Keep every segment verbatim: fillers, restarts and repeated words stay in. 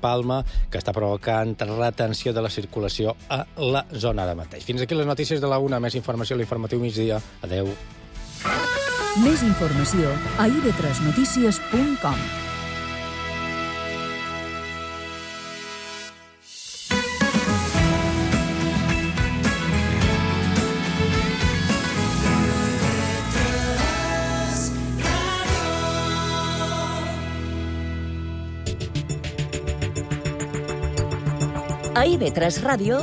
Palma, que està provocant retenció de la circulació a la zona de mateix. Fins aquí les notícies de la una. Més informació a l'informatiu migdia. Adeu. Més informació a i ve tres notícies punt com. A i ve tres Ràdio,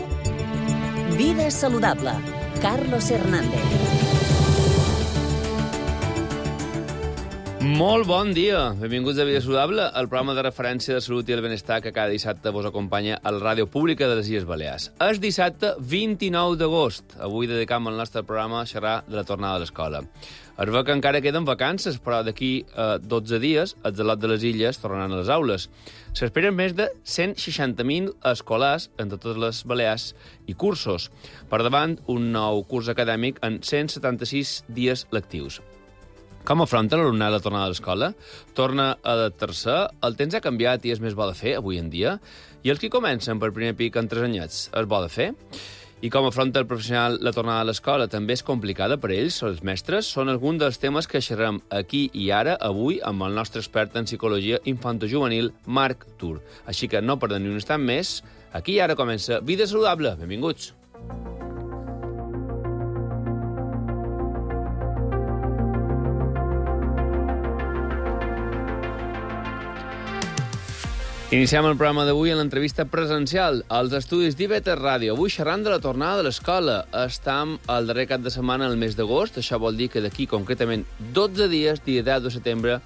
Vida Saludable, Carlos Hernández. Molt bon dia. Benvinguts a Vida Saludable, el programa de referència de salut i el benestar que cada dissabte vos acompanya a la ràdio pública de les Illes Balears. És dissabte vint-i-nou d'agost. Avui dedicam el nostre programa a xerrar de la tornada a l'escola. Es veu que encara queden vacances, però d'aquí a dotze dies els alumnes de les illes tornaran a les aules. S'esperen més de cent seixanta mil escolars en totes les Balears i cursos. Per davant, un nou curs acadèmic en cent setanta-sis dies lectius. Com afronta l'alumnat la tornada a l'escola? Torna a adaptar-se? El temps ha canviat i és més bo de fer avui en dia? I els que comencen per primer pic en tres anyets, és bo de fer? I com afronta el professional la tornada a l'escola? També és complicada per ells, els mestres? Són alguns dels temes que xerrem aquí i ara, avui, amb el nostre expert en psicologia infantojuvenil, Marc Tur. Així que no perdem ni un instant més. Aquí i ara comença Vida Saludable. Benvinguts. Iniciem el programa d'avui en l'entrevista presencial als estudis d'I V tres Ràdio. Avui xerrant de la tornada de l'escola. Estam al darrer cap de setmana del mes d'agost. Això vol dir que d'aquí concretament dotze dies, dia deu de setembre,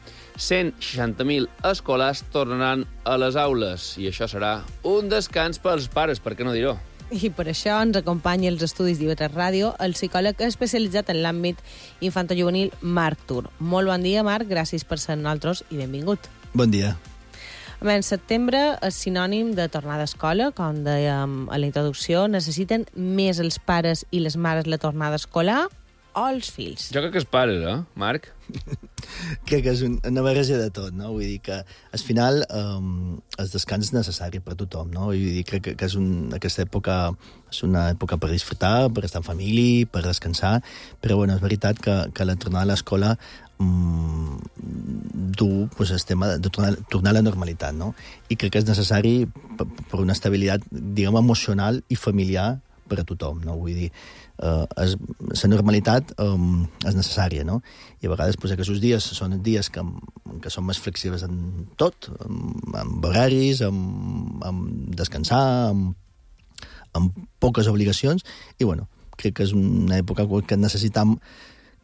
cent seixanta mil escolars tornaran a les aules. I això serà un descans pels pares, per què no dir-ho? I per això ens acompanya als estudis d'I V tres Ràdio el psicòleg especialitzat en l'àmbit infantojuvenil Marc Tur. Molt bon dia, Marc. Gràcies per ser amb nosaltres i benvingut. Bon dia. En setembre és sinònim de tornada a escola, com dèiem a la introducció. Necessiten més els pares i les mares la tornada escolar o els fills? Jo crec que els pares, eh, Marc? Crec que és una barreja de tot, no? Vull dir que, al final, um, el descans és necessari per a tothom, no? Vull dir, crec que, que és un, aquesta època és una època per disfrutar, per estar en família, per descansar, però, bueno, és veritat que, que la tornada a l'escola um, du pues, el tema de tornar, tornar a la normalitat, no? I crec que és necessari per, per una estabilitat, diguem, emocional i familiar per a tothom, no? Vull dir, uh, és, la normalitat um, és necessària, no? I a vegades pues, aquests dies són dies que, que són més flexibles en tot, amb, amb horaris, amb, amb descansar, amb, amb poques obligacions, i bueno, crec que és una època que necessitam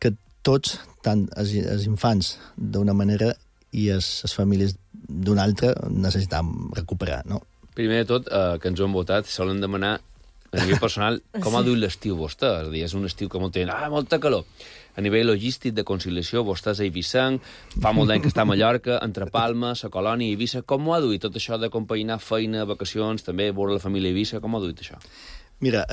que tots, tant els, els infants d'una manera i les, les famílies d'una altra, necessitam recuperar, no? Primer de tot, eh, que ens ho han votat, solen demanar a nivell personal, com ha duit l'estiu vostè? És a dir, és un estiu que molt tenen, ah, molta calor. A nivell logístic de conciliació, vostè és a Eivissa, fa molt d'any que està a Mallorca, entre Palma, la Colònia i Eivissa. Com ho ha duit tot això de compaginar feina, vacacions, també veure la família Eivissa? Com ho ha duit això? Mira,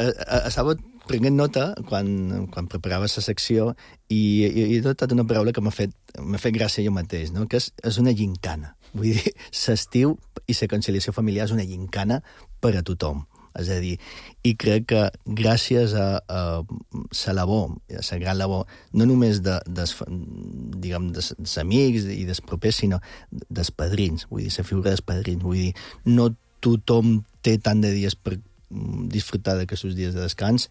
estava prenent nota quan, quan preparava la secció i, i he notat una paraula que m'ha fet, m'ha fet gràcia jo mateix, no? Que és, és una gincana. Vull dir, l'estiu i la conciliació familiar és una gincana per a tothom. És a dir, i crec que gràcies a, a la labor, a la gran labor, no només de, de, diguem, dels amics i dels propers, sinó dels padrins, vull dir, la figura dels padrins, vull dir, no tothom té tant de dies per disfrutar d'aquests dies de descans,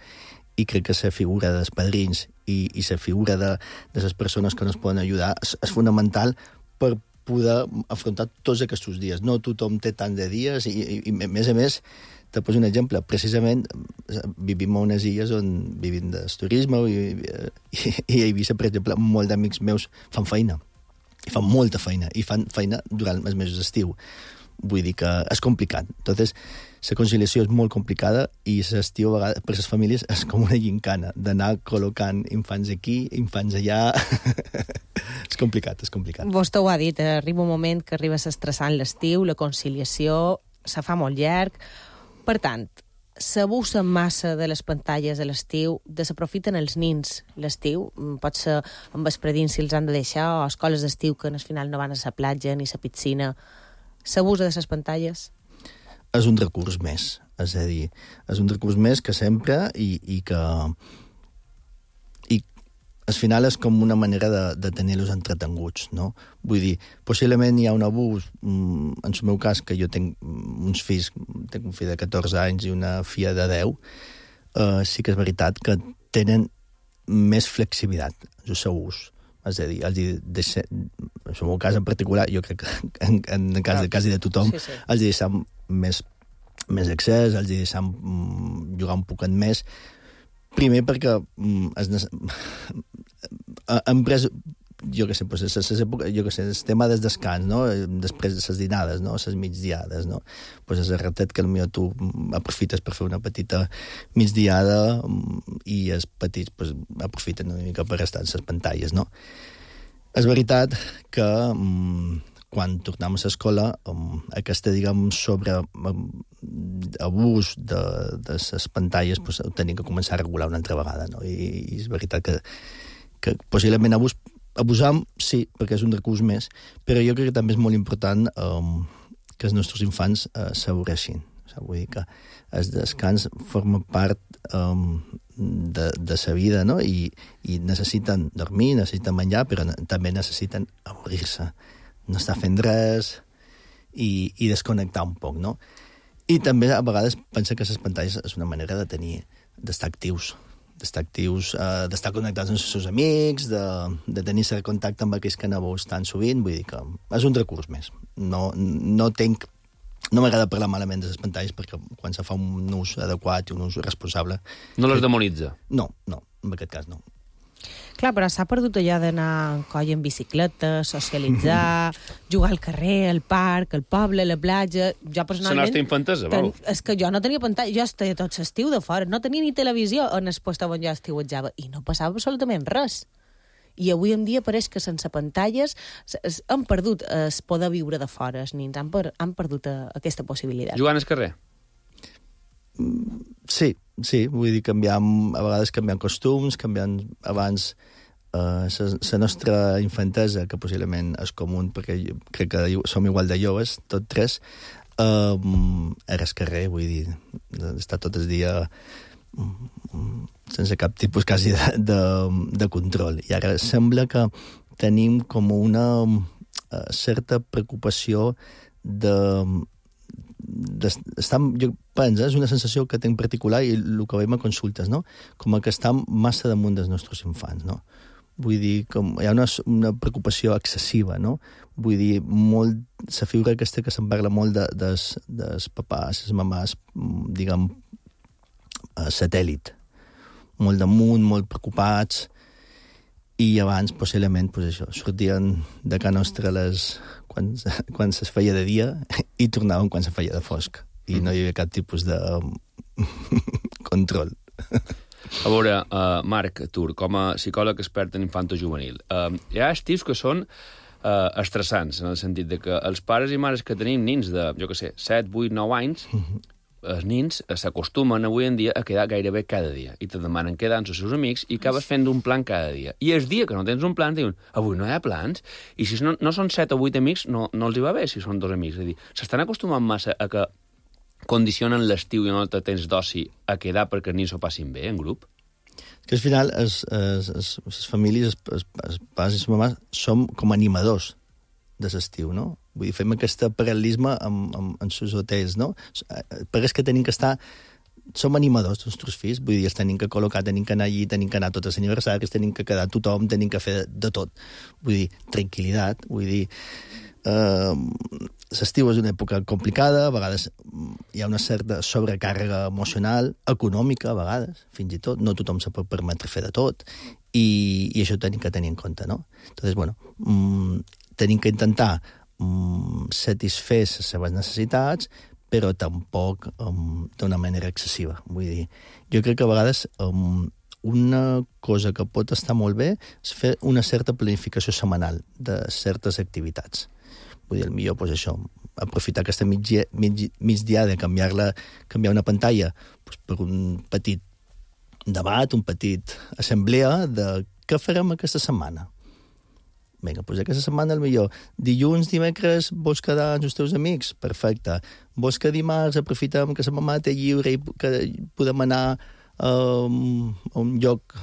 i crec que la figura dels padrins i, i la figura de, de les persones que nos poden ajudar és, és fonamental per poder afrontar tots aquests dies. No tothom té tant de dies, i, i, i a més a més, te poso un exemple. Precisament vivim a unes illes on vivim del turisme i, i, i a Eivissa, per exemple, molts d'amics meus fan feina. I fan molta feina. I fan feina durant els mesos d'estiu. Vull dir que és complicat. Entonces, la conciliació és molt complicada i l'estiu, a vegades, per les famílies, és com una gincana d'anar col·locant infants aquí, infants allà. És complicat, és complicat. Vostè ho ha dit, arriba un moment que arriba s'estressant l'estiu, la conciliació se fa molt llarg. Per tant, s'abusa massa de les pantalles a l'estiu, desaprofiten els nins l'estiu, pot ser amb vesprادins si els han de deixar, o escoles d'estiu que al final no van a la platja ni a la piscina. S'abusa de les pantalles? és un recurs més. És a dir, és un recurs més que sempre i, i que... I al final és com una manera de, de tenir-los entretenguts, no? Vull dir, possiblement hi ha un abús, en el meu cas, que jo tenc uns fills, tenc un fill de catorze anys i una filla de deu, eh, sí que és veritat que tenen més flexibilitat, el seu ús. És a dir, els hi deixa, en el meu cas en particular, jo crec que en, en el cas, cas de tothom, sí, sí. els hi deixem més, més accés, els hi deixem mm, jugar un poquet més. Primer perquè mm, es, hem pres, jo què sé, pues, es, es, jo què sé, el tema del descans, no? Després de les dinades, no? Les migdiades, no? Pues és el ratet que potser tu aprofites per fer una petita migdiada i els petits pues, aprofiten una mica per estar en les pantalles, no? És veritat que um, quan tornem a l'escola, um, aquesta, diguem, sobre um, abús de, de les pantalles pues, ho tenim que començar a regular una altra vegada, no? I, i és veritat que, que possiblement abús abusam, sí, perquè és un recurs més, però jo crec que també és molt important um, que els nostres infants uh, s'avorreixin. O sigui, vull dir que el descans forma part um, de, de sa vida, no? I, i necessiten dormir, necessiten menjar, però també necessiten avorrir-se, no estar fent res i, i desconnectar un poc, no? I també a vegades pensa que les pantalles és una manera de tenir, d'estar actius, d'estar actius, eh, d'estar connectats amb els seus amics, de, de tenir cert contacte amb aquells que no veus tan sovint, vull dir que és un recurs més. No, no tenc... No m'agrada parlar malament de les pantalles perquè quan se fa un ús adequat i un ús responsable... No les demonitza? No, no, en aquest cas no. Clar, però s'ha perdut allò d'anar en coll en bicicleta, socialitzar, jugar al carrer, al parc, al poble, a la platja... Jo personalment... La nostra infantesa, vau. Ten... És que jo no tenia pantalla, jo estava tot l'estiu de fora, no tenia ni televisió en el lloc on jo estiuetjava, i no passava absolutament res. I avui en dia pareix que sense pantalles han perdut el poder viure de fora, els nins han, per... han perdut aquesta possibilitat. Jugant al carrer? Sí, sí, vull dir, canviant, a vegades canviant costums, canviant abans la uh, nostra infantesa, que possiblement és comú, perquè jo crec que som igual de joves, tots tres, uh, era al carrer, vull dir, estar tot el dia um, sense cap tipus quasi de, de, de control. I ara sembla que tenim com una uh, certa preocupació de... Estar, jo penso, és una sensació que tinc particular i el que veiem a consultes, no? Com que estem massa damunt dels nostres infants, no? Vull dir, com hi ha una, una preocupació excessiva, no? Vull dir, molt, la figura aquesta que se'n parla molt de, des, des papàs, les mamàs, diguem, satèl·lit. Molt damunt, molt preocupats, i abans, possiblement, pues això, sortien de casa nostra les, quan, quan se feia de dia i tornaven quan se feia de fosc. I no hi havia cap tipus de control. A veure, uh, Marc Tur, com a psicòleg expert en infanto-juvenil, uh, hi ha estius que són uh, estressants, en el sentit de que els pares i mares que tenim nins de, jo què sé, set, vuit, nou anys, els nins s'acostumen avui en dia a quedar gairebé cada dia i te demanen quedar amb els seus amics i acabes fent un plan cada dia. I el dia que no tens un plan diuen, avui no hi ha plans, i si no, no són set o vuit amics no, no els hi va bé si són dos amics. És a dir, s'estan acostumant massa a que condicionen l'estiu i no te tens d'oci a quedar perquè els nins s'ho passin bé en grup? Que al final les famílies, els pares i les mamàs, som com animadors de l'estiu, no? Vull dir, fem aquest paral·lelisme amb, amb, amb els hotels, no? Perquè és que tenim que estar... Som animadors dels nostres fills, vull dir, els tenim que col·locar, tenim que anar allí, tenim que anar a tots els aniversaris, tenim que quedar tothom, tenim que fer de tot. Vull dir, tranquil·litat, vull dir... Eh, l'estiu és una època complicada, a vegades hi ha una certa sobrecàrrega emocional, econòmica, a vegades, fins i tot. No tothom se pot permetre fer de tot, i, i això ho tenim que tenir en compte, no? Entonces, bueno, mm, tenim que intentar mm, satisfer les seves necessitats, però tampoc um, d'una manera excessiva. Vull dir, jo crec que a vegades um, una cosa que pot estar molt bé és fer una certa planificació setmanal de certes activitats. Vull dir, millor, doncs això, aprofitar aquesta migdia, mig, migdiada, canviar-la, canviar una pantalla doncs, per un petit debat, un petit assemblea de què farem aquesta setmana. Vinga, doncs aquesta setmana, millor. Dilluns, dimecres, vols quedar amb els teus amics? Perfecte. Vols que dimarts aprofitem que sa mamà té lliure i que podem anar um, a un lloc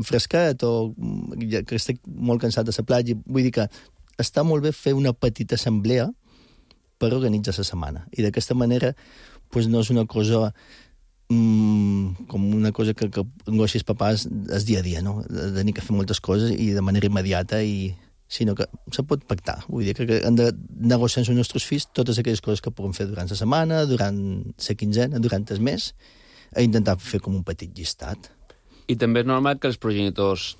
fresquet o que estic molt cansat de la platja? Vull dir que està molt bé fer una petita assemblea per organitzar la setmana. I d'aquesta manera pues, no és una cosa... Mm, com una cosa que, que angoixi els papàs és dia a dia, no? De tenir que fer moltes coses i de manera immediata, i sinó que se pot pactar. Vull dir que, que hem de negociar amb els nostres fills totes aquelles coses que puguem fer durant la setmana, durant la quinzena, durant el mes, a intentar fer com un petit llistat. I també és normal que els progenitors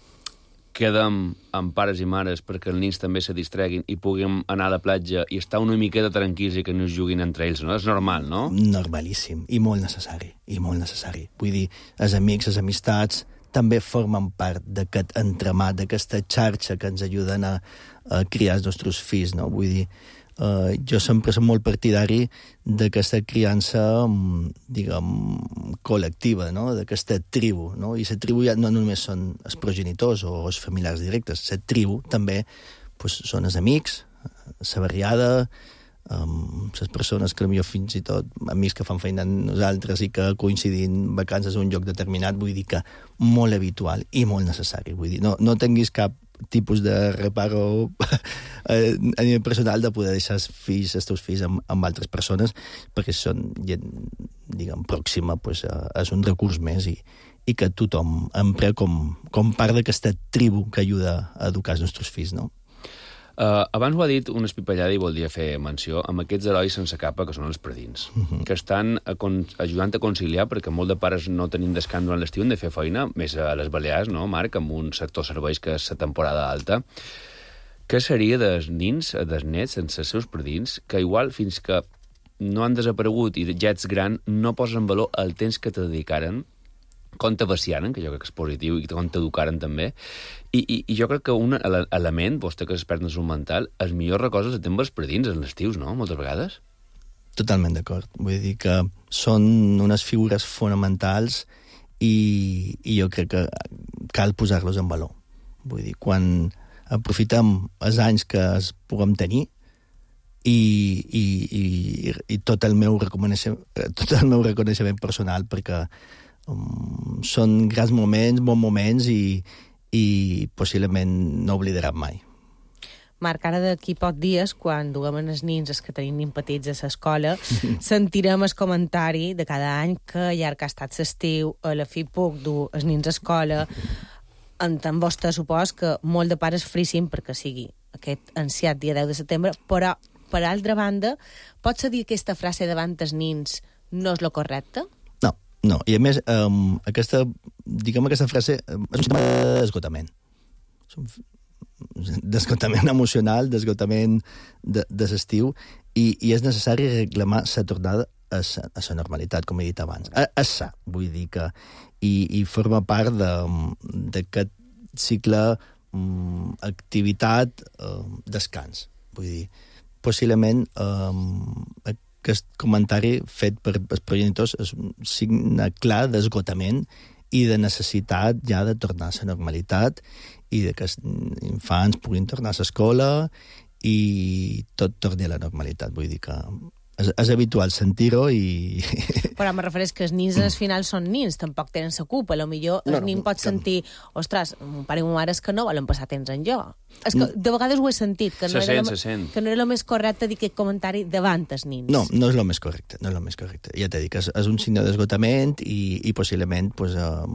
quedem amb pares i mares perquè els nens també se distreguin i puguem anar a la platja i estar una miqueta tranquils i que no es juguin entre ells, no? És normal, no? Normalíssim, i molt necessari, i molt necessari. Vull dir, els amics, les amistats, també formen part d'aquest entramat, d'aquesta xarxa que ens ajuden a, a criar els nostres fills, no? Vull dir, Uh, jo sempre soc molt partidari d'aquesta criança, diguem, col·lectiva, no? D'aquesta tribu, no? I la tribu ja no només són els progenitors o els familiars directes, la tribu també pues, són els amics, la barriada, um, les persones que potser fins i tot, amics que fan feina amb nosaltres i que coincidint vacances a un lloc determinat, vull dir que molt habitual i molt necessari. Vull dir, no, no tinguis cap tipus de reparo a nivell personal de poder deixar els fills, els teus fills amb, amb altres persones, perquè són gent, diguem, pròxima, pues, és un recurs més i, i que tothom empra com, com part d'aquesta tribu que ajuda a educar els nostres fills, no? Uh, abans ho ha dit una espipallada i voldria fer menció amb aquests herois sense capa que són els predins, uh -huh. que estan a con ajudant a conciliar, perquè molt de pares no tenim descans durant l'estiu, hem de fer feina, més a les Balears, no, Marc, amb un sector serveis que és la temporada alta. Què seria dels nins, dels nets, sense els seus predins, que igual fins que no han desaparegut i ja ets gran, no posen en valor el temps que te dedicaren, com t'abaciaren, que jo crec que és positiu, i com t'educaren també. I, i, I jo crec que un element, vostè que és expert en salut mental, els millors records els tenim els predins en les tius, no?, moltes vegades. Totalment d'acord. Vull dir que són unes figures fonamentals i, i jo crec que cal posar-los en valor. Vull dir, quan aprofitem els anys que es puguem tenir i, i, i, i tot, el meu reconeixement, tot el meu reconeixement personal, perquè um, són grans moments, bons moments i i possiblement no oblidaran mai. Marc, ara d'aquí pocs dies, quan duguem els nins, els que tenim nin petits a l'escola, sentirem el comentari de cada any que llarg ha estat l'estiu, a la fi puc dur els nins a escola. Entenc vostè, supos, que molt de pares frissin perquè sigui aquest ansiat dia deu de setembre, però, per altra banda, pots dir que aquesta frase davant els nins no és lo correcte? No, i a més, um, aquesta, diguem aquesta frase és un sistema d'esgotament. D'esgotament emocional, d'esgotament de, de l'estiu, i, i és necessari reclamar la tornada a la normalitat, com he dit abans. A, a sa, vull dir que... I, i forma part d'aquest cicle um, activitat, um, descans. Vull dir, possiblement... Um, aquest comentari fet per els progenitors és un signe clar d'esgotament i de necessitat ja de tornar a la normalitat i de que els infants puguin tornar a l'escola i tot torni a la normalitat. Vull dir que és, és habitual sentir-ho i... Però me refereix que els nins al final són nins, tampoc tenen la culpa. A lo millor el no, no, nin pot sentir, ostres, mon pare i mon mare és que no volen passar temps en jo. És que de vegades ho he sentit, que no, se era, sent, lo, se sent. que no era el més correcte dir aquest comentari davant els nins. No, no és el més correcte, no és el més correcte. Ja t'he dit que és, és un signe d'esgotament i, i possiblement pues, eh,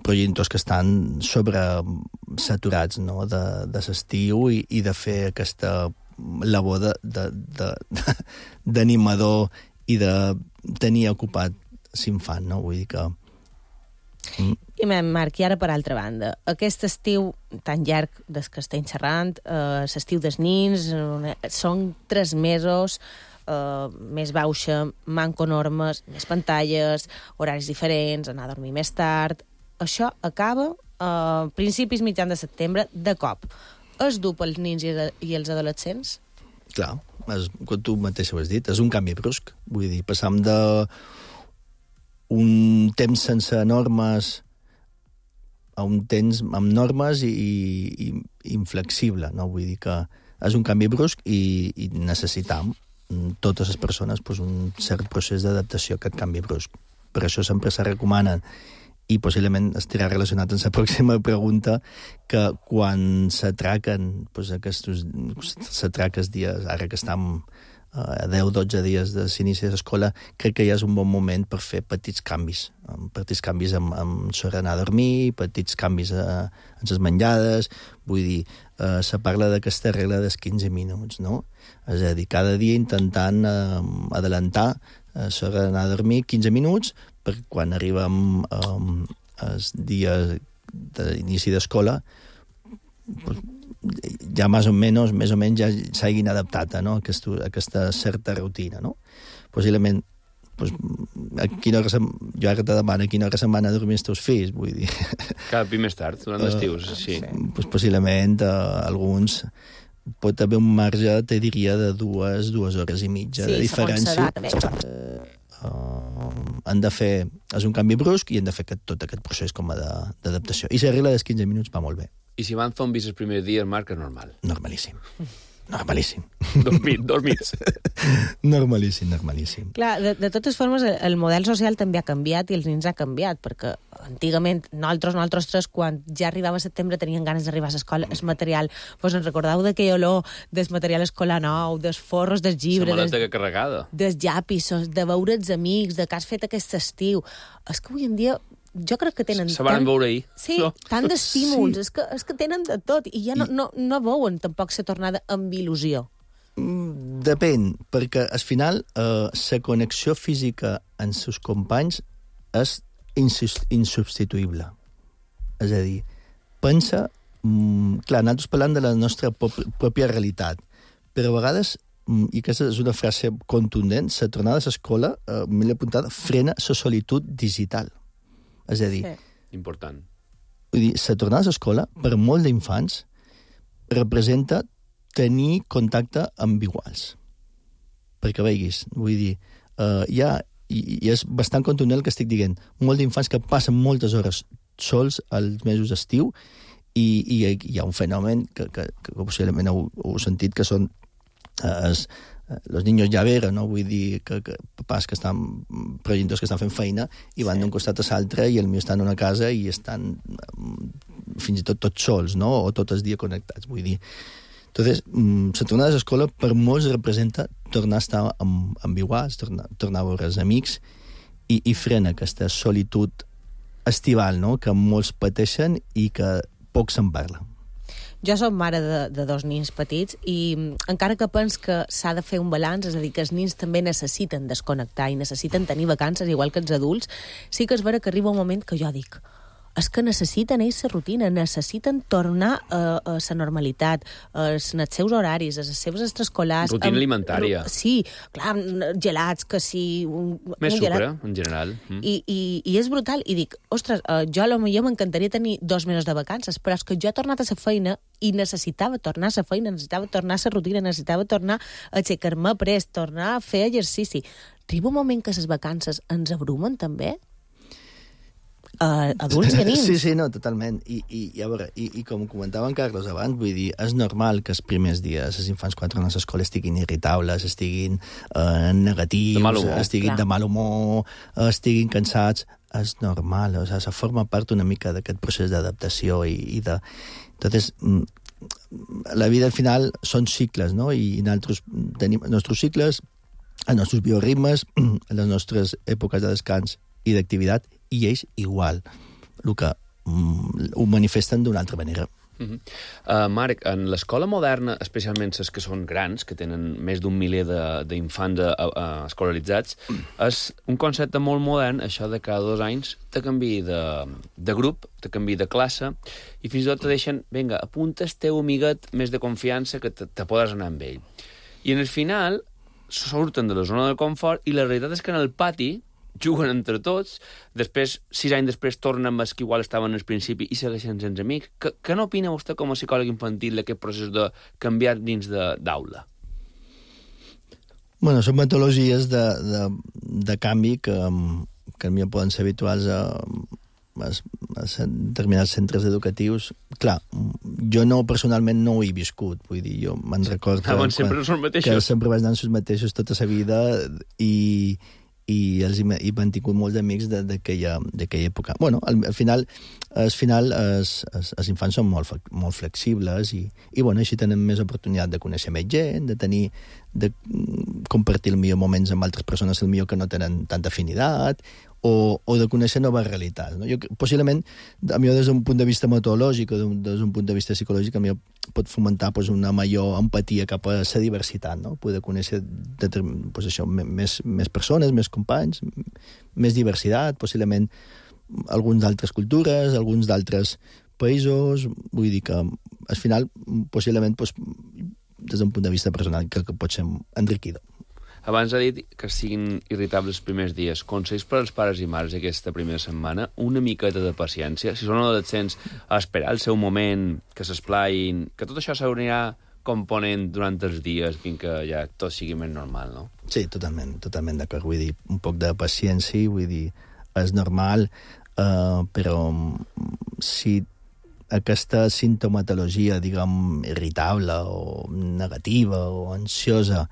progenitors que estan sobresaturats, no?, de, de l'estiu i, i de fer aquesta labor d'animador i de tenir ocupat l'infant, no? Vull dir que... Mm. I, Marc, i ara per altra banda, aquest estiu tan llarg des que estem xerrant, eh, l'estiu dels nins, eh, són tres mesos, eh, més baixa, manco normes, més pantalles, horaris diferents, anar a dormir més tard... Això acaba a eh, principis mitjans de setembre, de cop. És dur pels nins i els adolescents? Clar, és, com tu mateix ho has dit, és un canvi brusc. Vull dir, passam de un temps sense normes a un temps amb normes i, i, i inflexible, no? Vull dir que és un canvi brusc i, i necessitam totes les persones pues, un cert procés d'adaptació a aquest canvi brusc. Per això sempre se recomanen, i possiblement estarà relacionat amb la pròxima pregunta, que quan s'atraquen pues, aquests s'atraques dies, ara que estem a deu o dotze dies de l'inici de l'escola, crec que ja és un bon moment per fer petits canvis. Petits canvis amb, amb l'hora d'anar a dormir, petits canvis a, en les menjades. Vull dir, eh, se parla d'aquesta regla dels quinze minuts, no? És a dir, cada dia intentant eh, adelantar eh, l'hora d'anar a dormir quinze minuts, perquè quan arribem eh, els dies d'inici d'escola, pues, ja més o menys, més o menys ja s'hagin adaptat no? a, aquesta, a aquesta certa rutina, no? Possiblement, pues, a quina hora se'n, jo ara te demano a quina hora se'n van a dormir els teus fills, vull dir... Cada pi més tard, durant l'estiu, uh, sí. Pues, possiblement, uh, alguns pot haver un marge, te diria, de dues, dues hores i mitja sí, de diferència. Uh, han de fer... És un canvi brusc i han de fer aquest, tot aquest procés com a d'adaptació. I la regla dels quinze minuts va molt bé. I si van zombis els primers dies, Marc, és normal. Normalíssim. Normalíssim. Dormit, dormits. Normalíssim, normalíssim. Clar, de, de totes formes, el model social també ha canviat i els nens ha canviat, perquè antigament, nosaltres, nosaltres tres, quan ja arribava a setembre tenien ganes d'arribar a l'escola, el material, doncs ens recordeu d'aquell olor del material escolar nou, dels forros del llibre, la maleta carregada, dels llapisos, de veure els amics, de què has fet aquest estiu. És que avui en dia jo crec que tenen... Se van veure ahir. Sí, no? tant d'estímuls, Sí. és, que, és que tenen de tot, i ja no, no, no veuen tampoc la tornada amb il·lusió. Mm, depèn, perquè al final eh, la connexió física amb els seus companys és insubstituïble. És a dir, pensa... Mm, clar, nosaltres parlant de la nostra pròpia realitat, però a vegades, mm, i aquesta és una frase contundent, la tornada a l'escola, eh, m'he apuntat, frena la solitud digital. És a dir, Sí. Important. vull dir, la tornada a l'escola, per molt d'infants, representa tenir contacte amb iguals. Perquè veiguis, vull dir, uh, hi ha, i, i és bastant contundent el que estic dient, molt d'infants que passen moltes hores sols als mesos d'estiu i, i hi ha un fenomen que, que, que possiblement heu, heu sentit, que són uh, els los niños llavera, no? Vull dir que, que papàs que estan, progenitors que estan fent feina i van sí. d'un costat a l'altre i el meu estan en una casa i estan fins i tot tots sols, no? O tot el dia connectats, vull dir. Entonces, la tornada a l'escola per molts representa tornar a estar amb, amb iguals, tornar, tornar a veure els amics i, i frena aquesta solitud estival, no? Que molts pateixen i que poc se'n parla. Jo soc mare de, de dos nins petits i encara que pens que s'ha de fer un balanç, és a dir, que els nins també necessiten desconnectar i necessiten tenir vacances, igual que els adults, sí que és vera que arriba un moment que jo dic és que necessiten ells la rutina, necessiten tornar a, a la normalitat, als seus horaris, a les seves extraescolars. Rutina alimentària. Sí, clar, gelats, que sí... Un, Més un sucre, gelat. en general. Mm. I, i, I és brutal. I dic, ostres, uh, jo a lo millor m'encantaria tenir dos mesos de vacances, però és que jo he tornat a la feina i necessitava tornar a la feina, necessitava tornar a la rutina, necessitava tornar a aixecar-me prest, tornar a fer exercici. Arriba un moment que les vacances ens abrumen, també? Uh, adults i nins. Sí, sí, no, totalment. I, i, i a veure, i, i com comentava en Carlos abans, vull dir, és normal que els primers dies els infants quan tornen a l'escola estiguin irritables, estiguin eh, negatius, de mal humor, estiguin clar. de mal humor, estiguin cansats. És normal, o sigui, forma part una mica d'aquest procés d'adaptació i, i de... Entonces, la vida al final són cicles, no? I nosaltres tenim els nostres cicles, els nostres bioritmes, les nostres èpoques de descans i d'activitat, i ells igual, el que mm, ho manifesten d'una altra manera. Uh -huh. uh, Marc, en l'escola moderna, especialment les que són grans, que tenen més d'un miler d'infants escolaritzats, és un concepte molt modern, això de cada dos anys te canvi de, de grup, te canvi de classe, i fins i tot te deixen, vinga, apunta el teu amiguet més de confiança que te, te podes anar amb ell. I en el final surten de la zona de confort i la realitat és que en el pati juguen entre tots, després, sis anys després, tornen amb els que igual estaven al principi i segueixen sense amics. Què, què n'opina vostè com a psicòleg infantil d'aquest procés de canviar dins d'aula? Bueno, són metodologies de, de, de canvi que, que a mi poden ser habituals a, a a determinats centres educatius, clar, jo no, personalment, no ho he viscut, vull dir, jo me'n recordo... Ah, bon, sempre són mateixos. Que sempre vaig anar amb els mateixos tota la vida i, i els he, he mantingut molts amics d'aquella època. Bueno, al, al final, al final els, els, els infants són molt, molt flexibles i, i bueno, així tenen més oportunitat de conèixer més gent, de tenir de compartir el millor moments amb altres persones, el millor que no tenen tanta afinitat, o, o de conèixer noves realitats. No? Jo, possiblement, a mi des d'un punt de vista metodològic o des d'un punt de vista psicològic, a mi pot fomentar pues, una major empatia cap a la diversitat, no? Poder conèixer pues, això, més, més persones, més companys, més diversitat, possiblement alguns d'altres cultures, alguns d'altres països, vull dir que al final, possiblement, pues, des d'un punt de vista personal, crec que pot ser enriquidor. Abans ha dit que siguin irritables els primers dies. Consells per als pares i mares aquesta primera setmana? Una miqueta de paciència. Si són adolescents, a esperar el seu moment, que s'esplaïn, que tot això s'haurà component durant els dies fins que ja tot sigui més normal, no? Sí, totalment, totalment d'acord. Vull dir, un poc de paciència, vull dir, és normal, eh, però si aquesta sintomatologia, diguem, irritable o negativa o ansiosa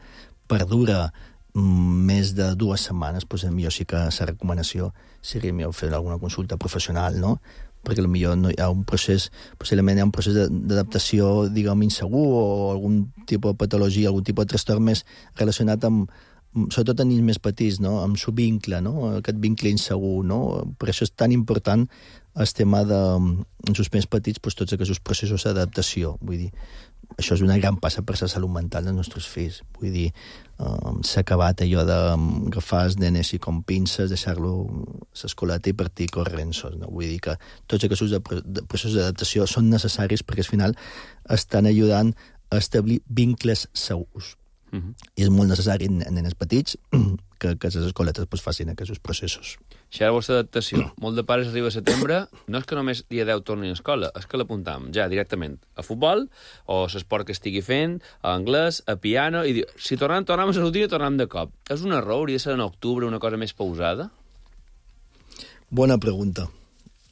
perdura més de dues setmanes, doncs millor sí que la recomanació seria millor fer alguna consulta professional, no? Perquè potser no hi ha un procés, possiblement hi ha un procés d'adaptació, diguem, insegur o algun tipus de patologia, algun tipus de trastorn més relacionat amb, sobretot en nens més petits, no? Amb el vincle, no? Aquest vincle insegur, no? Per això és tan important el tema de, en els més petits, doncs, tots aquests processos d'adaptació. Vull dir, això és una gran passa per la salut mental dels nostres fills. Vull dir, eh, s'ha acabat allò d'agafar els nenes i com pinces, deixar-lo a l'escoleta i partir corrents. No? Vull dir que tots aquests processos d'adaptació són necessaris perquè al final estan ajudant a establir vincles segurs. Uh-huh. I és molt necessari en nenes petits que, que les escoletes pues, facin aquests processos. Això era la vostra adaptació. Molt de pares arriba a setembre, no és que només dia deu tornin a escola, és que l'apuntam ja directament a futbol, o l'esport que estigui fent, a anglès, a piano, i diu, si tornem, tornem a la rutina, tornem de cop. És un error? Hauria de ser en octubre una cosa més pausada? Bona pregunta.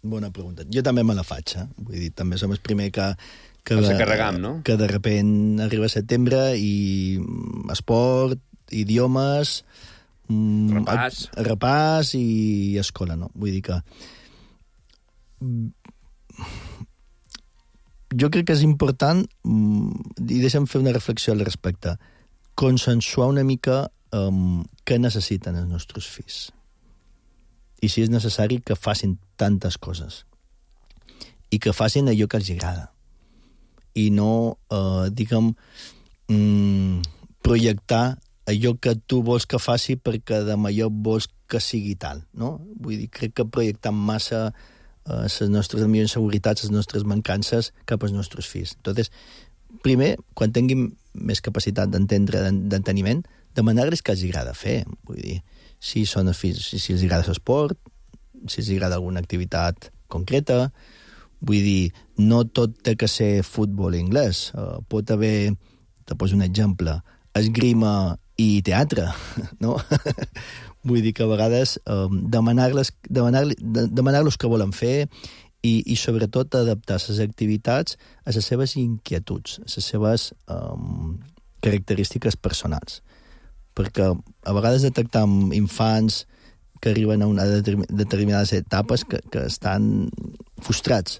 Bona pregunta. Jo també me la faig, eh? Vull dir, també som el primer que que, de, carregam, no? que de repent arriba a setembre i esport, idiomes, repàs, a, repàs i escola, no? Vull dir que jo crec que és important, i deixa'm fer una reflexió al respecte, consensuar una mica um, què necessiten els nostres fills. I si és necessari que facin tantes coses. I que facin allò que els agrada. I no, eh, diguem, mm, projectar allò que tu vols que faci perquè de millor vols que sigui tal, no? Vull dir, crec que projectant massa eh, les nostres millors inseguretats, les nostres mancances cap als nostres fills. Entonces, primer, quan tinguin més capacitat d'entendre, d'enteniment, demanar-los què els agrada fer. Vull dir, si són els fills, si, si els agrada l'esport, si els agrada alguna activitat concreta. Vull dir, no tot té que ser futbol i anglès. Uh, pot haver, te poso un exemple, esgrima i teatre, no? Vull dir que a vegades um, demanar-los demanar, demanar què volen fer i, i sobretot adaptar les activitats a les seves inquietuds, a les seves um, característiques personals. Perquè a vegades detectam infants que arriben a una determinades etapes que, que estan frustrats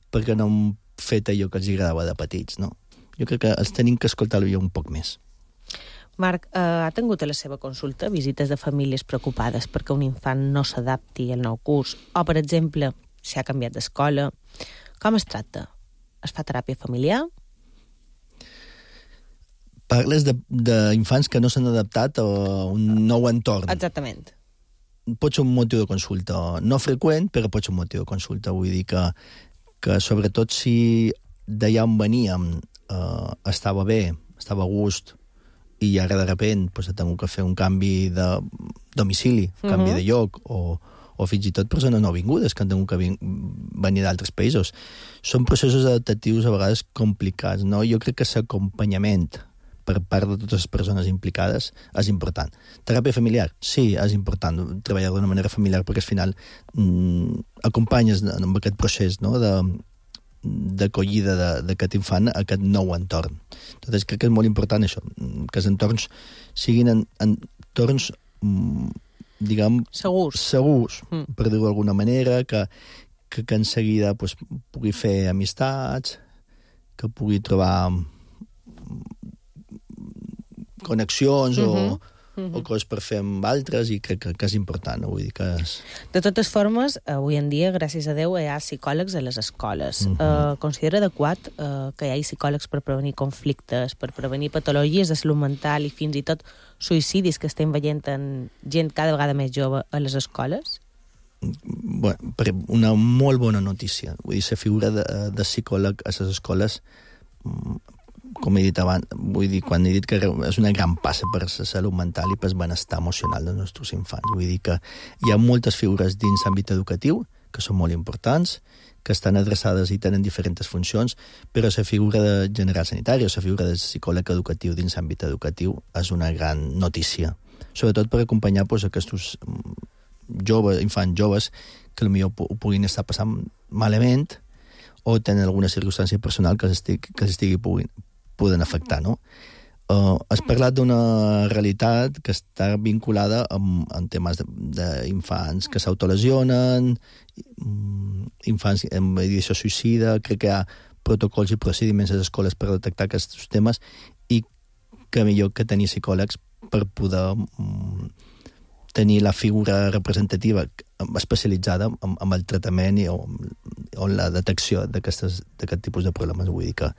perquè no han fet allò que els agradava de petits, no? Jo crec que els tenim que escoltar-lo un poc més. Marc, eh, ha tingut a la seva consulta visites de famílies preocupades perquè un infant no s'adapti al nou curs, o, per exemple, si ha canviat d'escola. Com es tracta? Es fa teràpia familiar? Parles d'infants que no s'han adaptat a un nou entorn. Exactament. Pot ser un motiu de consulta. No freqüent, però pot ser un motiu de consulta. Vull dir que, que sobretot si d'allà on veníem eh, estava bé, estava a gust, i ara de repent pues, ha tingut que fer un canvi de domicili, uh-huh. canvi de lloc, o, o fins i tot persones nouvingudes que han tingut que venir d'altres països. Són processos adaptatius a vegades complicats, no? Jo crec que l'acompanyament per part de totes les persones implicades és important. Teràpia familiar? Sí, és important treballar d'una manera familiar perquè al final mm, acompanyes en aquest procés, no?, de d'acollida d'aquest infant a aquest nou entorn. Entonces, crec que és molt important això, que els entorns siguin en, entorns, diguem... Segurs. Segurs, mm. per dir-ho d'alguna manera, que, que, que en seguida pues, pugui fer amistats, que pugui trobar connexions mm-hmm. o... o coses per fer amb altres, i crec que, que és important, no? Vull dir que és... De totes formes, avui en dia, gràcies a Déu, hi ha psicòlegs a les escoles. Uh-huh. Uh, considera adequat uh, que hi hagi psicòlegs per prevenir conflictes, per prevenir patologies de salut mental i fins i tot suïcidis que estem veient en gent cada vegada més jove a les escoles? Bueno, una molt bona notícia. Vull dir, la figura de, de psicòleg a les escoles, com he dit abans, vull dir, quan he dit que és una gran passa per la salut mental i per el benestar emocional dels nostres infants. Vull dir que hi ha moltes figures dins l'àmbit educatiu que són molt importants, que estan adreçades i tenen diferents funcions, però la figura de general sanitari o la figura de psicòleg educatiu dins l'àmbit educatiu és una gran notícia. Sobretot per acompanyar pues, aquests joves, infants joves que potser ho puguin estar passant malament o tenen alguna circumstància personal que estigui, que estigui puguin, poden afectar, no? Uh, has parlat d'una realitat que està vinculada amb, amb temes d'infants que s'autolesionen, infants amb ideació suïcida, crec que hi ha protocols i procediments a les escoles per detectar aquests temes i que millor que tenir psicòlegs per poder um, tenir la figura representativa especialitzada amb, amb el tractament i o, o la detecció d'aquest tipus de problemes. Vull dir que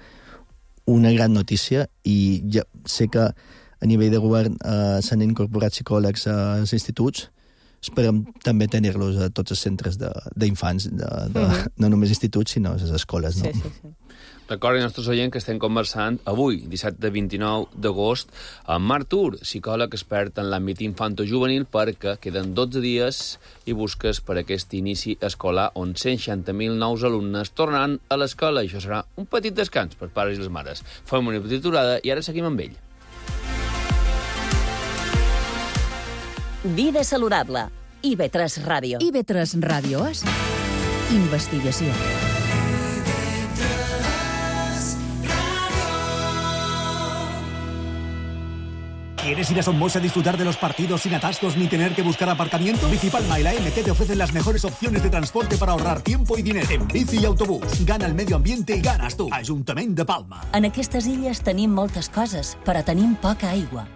una gran notícia, i ja sé que a nivell de govern eh, s'han incorporat psicòlegs als instituts. Esperem també tenir-los a tots els centres d'infants, de, de, de, mm-hmm. no només instituts, sinó a les escoles. No? Sí, sí, sí. Recordin, nostres oients, que estem conversant avui, dissabte vint-i-nou d'agost, amb Marc Tur, psicòleg expert en l'àmbit infanto-juvenil, perquè queden dotze dies i busques per aquest inici escolar on cent seixanta mil nous alumnes tornaran a l'escola. I això serà un petit descans per pares i les mares. Fem una petita aturada i ara seguim amb ell. Vida saludable. I ve tres Ràdio. I ve tres Ràdio és investigació. ¿Quieres ir a Somos a disfrutar de los partidos sin atascos ni tener que buscar aparcamiento? Bicipalma y la M T te ofrecen las mejores opciones de transporte para ahorrar tiempo y dinero. En bici y autobús. Gana el medio ambiente i ganes tu. Ajuntament de Palma. En aquestes illes tenim moltes coses, però tenim poca aigua.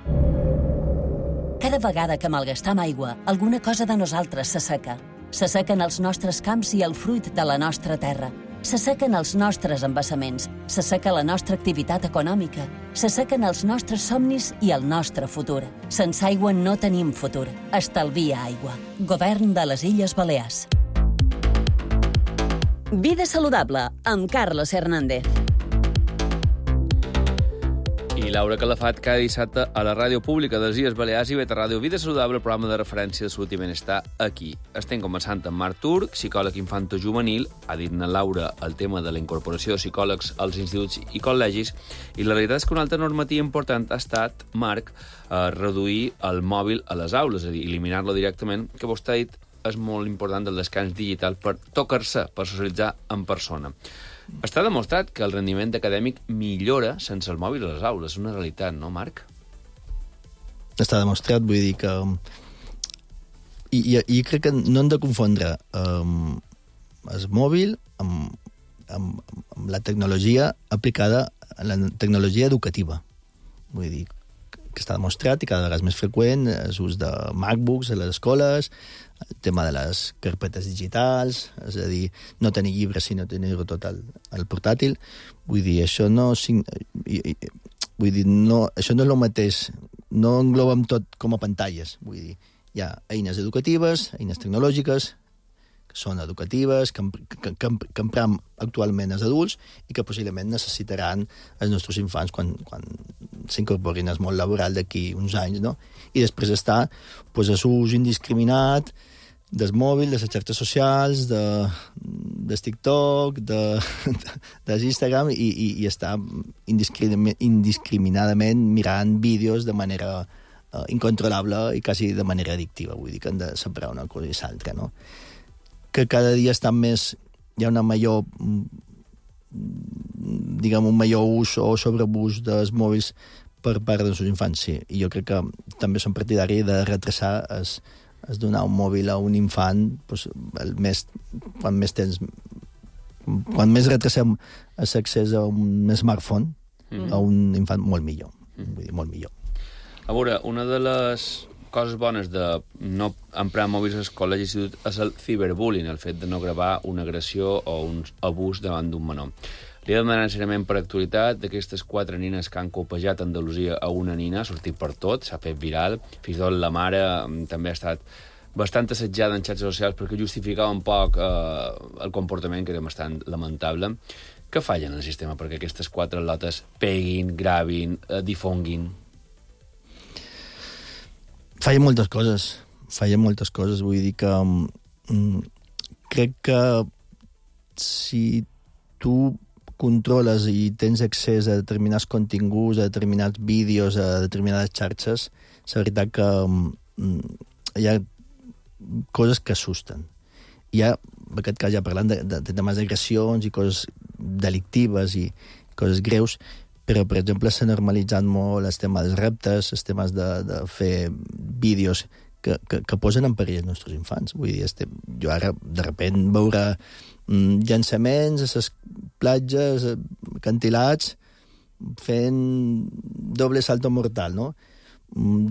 Cada vegada que malgastam aigua, alguna cosa de nosaltres s'asseca. S'assequen els nostres camps i el fruit de la nostra terra. S'assequen els nostres embassaments, s'asseca la nostra activitat econòmica, s'assequen els nostres somnis i el nostre futur. Sense aigua no tenim futur. Estalvia aigua. Govern de les Illes Balears. Vida saludable, amb Carlos Hernández. I Laura Calafat, cada dissabte a la ràdio pública de les Illes Balears i Beta Ràdio Vida Saludable, el programa de referència de salut i benestar aquí. Estem conversant amb Marc Tur, psicòleg infanto-juvenil. Ha dit na Laura el tema de la incorporació de psicòlegs als instituts i col·legis, i la realitat és que una altra normativa important ha estat, Marc, eh, reduir el mòbil a les aules, és a dir, eliminar-lo directament, que vostè ha dit és molt important el descans digital per tocar-se, per socialitzar en persona. Està demostrat que el rendiment acadèmic millora sense el mòbil a les aules. És una realitat, no, Marc? Està demostrat, vull dir que... I, i, i crec que no hem de confondre um, el mòbil amb, amb, amb la tecnologia aplicada a la tecnologia educativa. Vull dir que està demostrat i cada vegada és més freqüent l'ús de MacBooks a les escoles, el tema de les carpetes digitals, és a dir, no tenir llibres sinó tenir-ho tot al, al portàtil. Vull dir, això no... Vull dir, no, això no és el mateix, no englobem tot com a pantalles. Vull dir, hi ha eines educatives, eines tecnològiques, que són educatives, que, que, que, que empram actualment els adults i que possiblement necessitaran els nostres infants quan, quan s'incorporin al món laboral d'aquí uns anys, no? I després està pues, l'ús indiscriminat del mòbil, de les xarxes socials, de, del TikTok, de, de l'Instagram, i, i, i està indiscriminadament mirant vídeos de manera uh, incontrolable i quasi de manera addictiva. Vull dir que han de separar una cosa i l'altra, no? Que cada dia està més... Hi ha una major... diguem, un major ús o sobreús dels mòbils per part dels seus infants, sí. I jo crec que també som partidaris de retrasar es, es donar un mòbil a un infant, doncs, el més, quan més temps... Quan més retrasem l'accés a un smartphone, mm. a un infant, molt millor. Mm. Vull dir, molt millor. A veure, una de les coses bones de no emprar mòbils al col·legi i institut és el ciberbullying, el fet de no gravar una agressió o un abús davant d'un menor. Li he de demanar ensenyament per actualitat d'aquestes quatre nines que han copejat a Andalusia a una nina, ha sortit per tot, s'ha fet viral, fins i tot la mare també ha estat bastant assetjada en xarxes socials perquè justificava un poc eh, el comportament, que era bastant lamentable. Què fallen en el sistema perquè aquestes quatre lotes peguin, gravin, eh, difonguin? Fallen moltes coses, fallen moltes coses, vull dir que mm, crec que si tu controles i tens accés a determinats continguts, a determinats vídeos, a determinades xarxes, és veritat que mm, hi ha coses que assusten. Hi ha, en aquest cas ja parlant de, de, de temes d'agressions i coses delictives i coses greus, però, per exemple, s'ha normalitzat molt el tema dels reptes, els temes de, de fer vídeos que, que, que posen en perill els nostres infants. Vull dir, este, jo ara, de sobte, veure mm, llançaments a les platges, acantilats, fent doble salto mortal, no?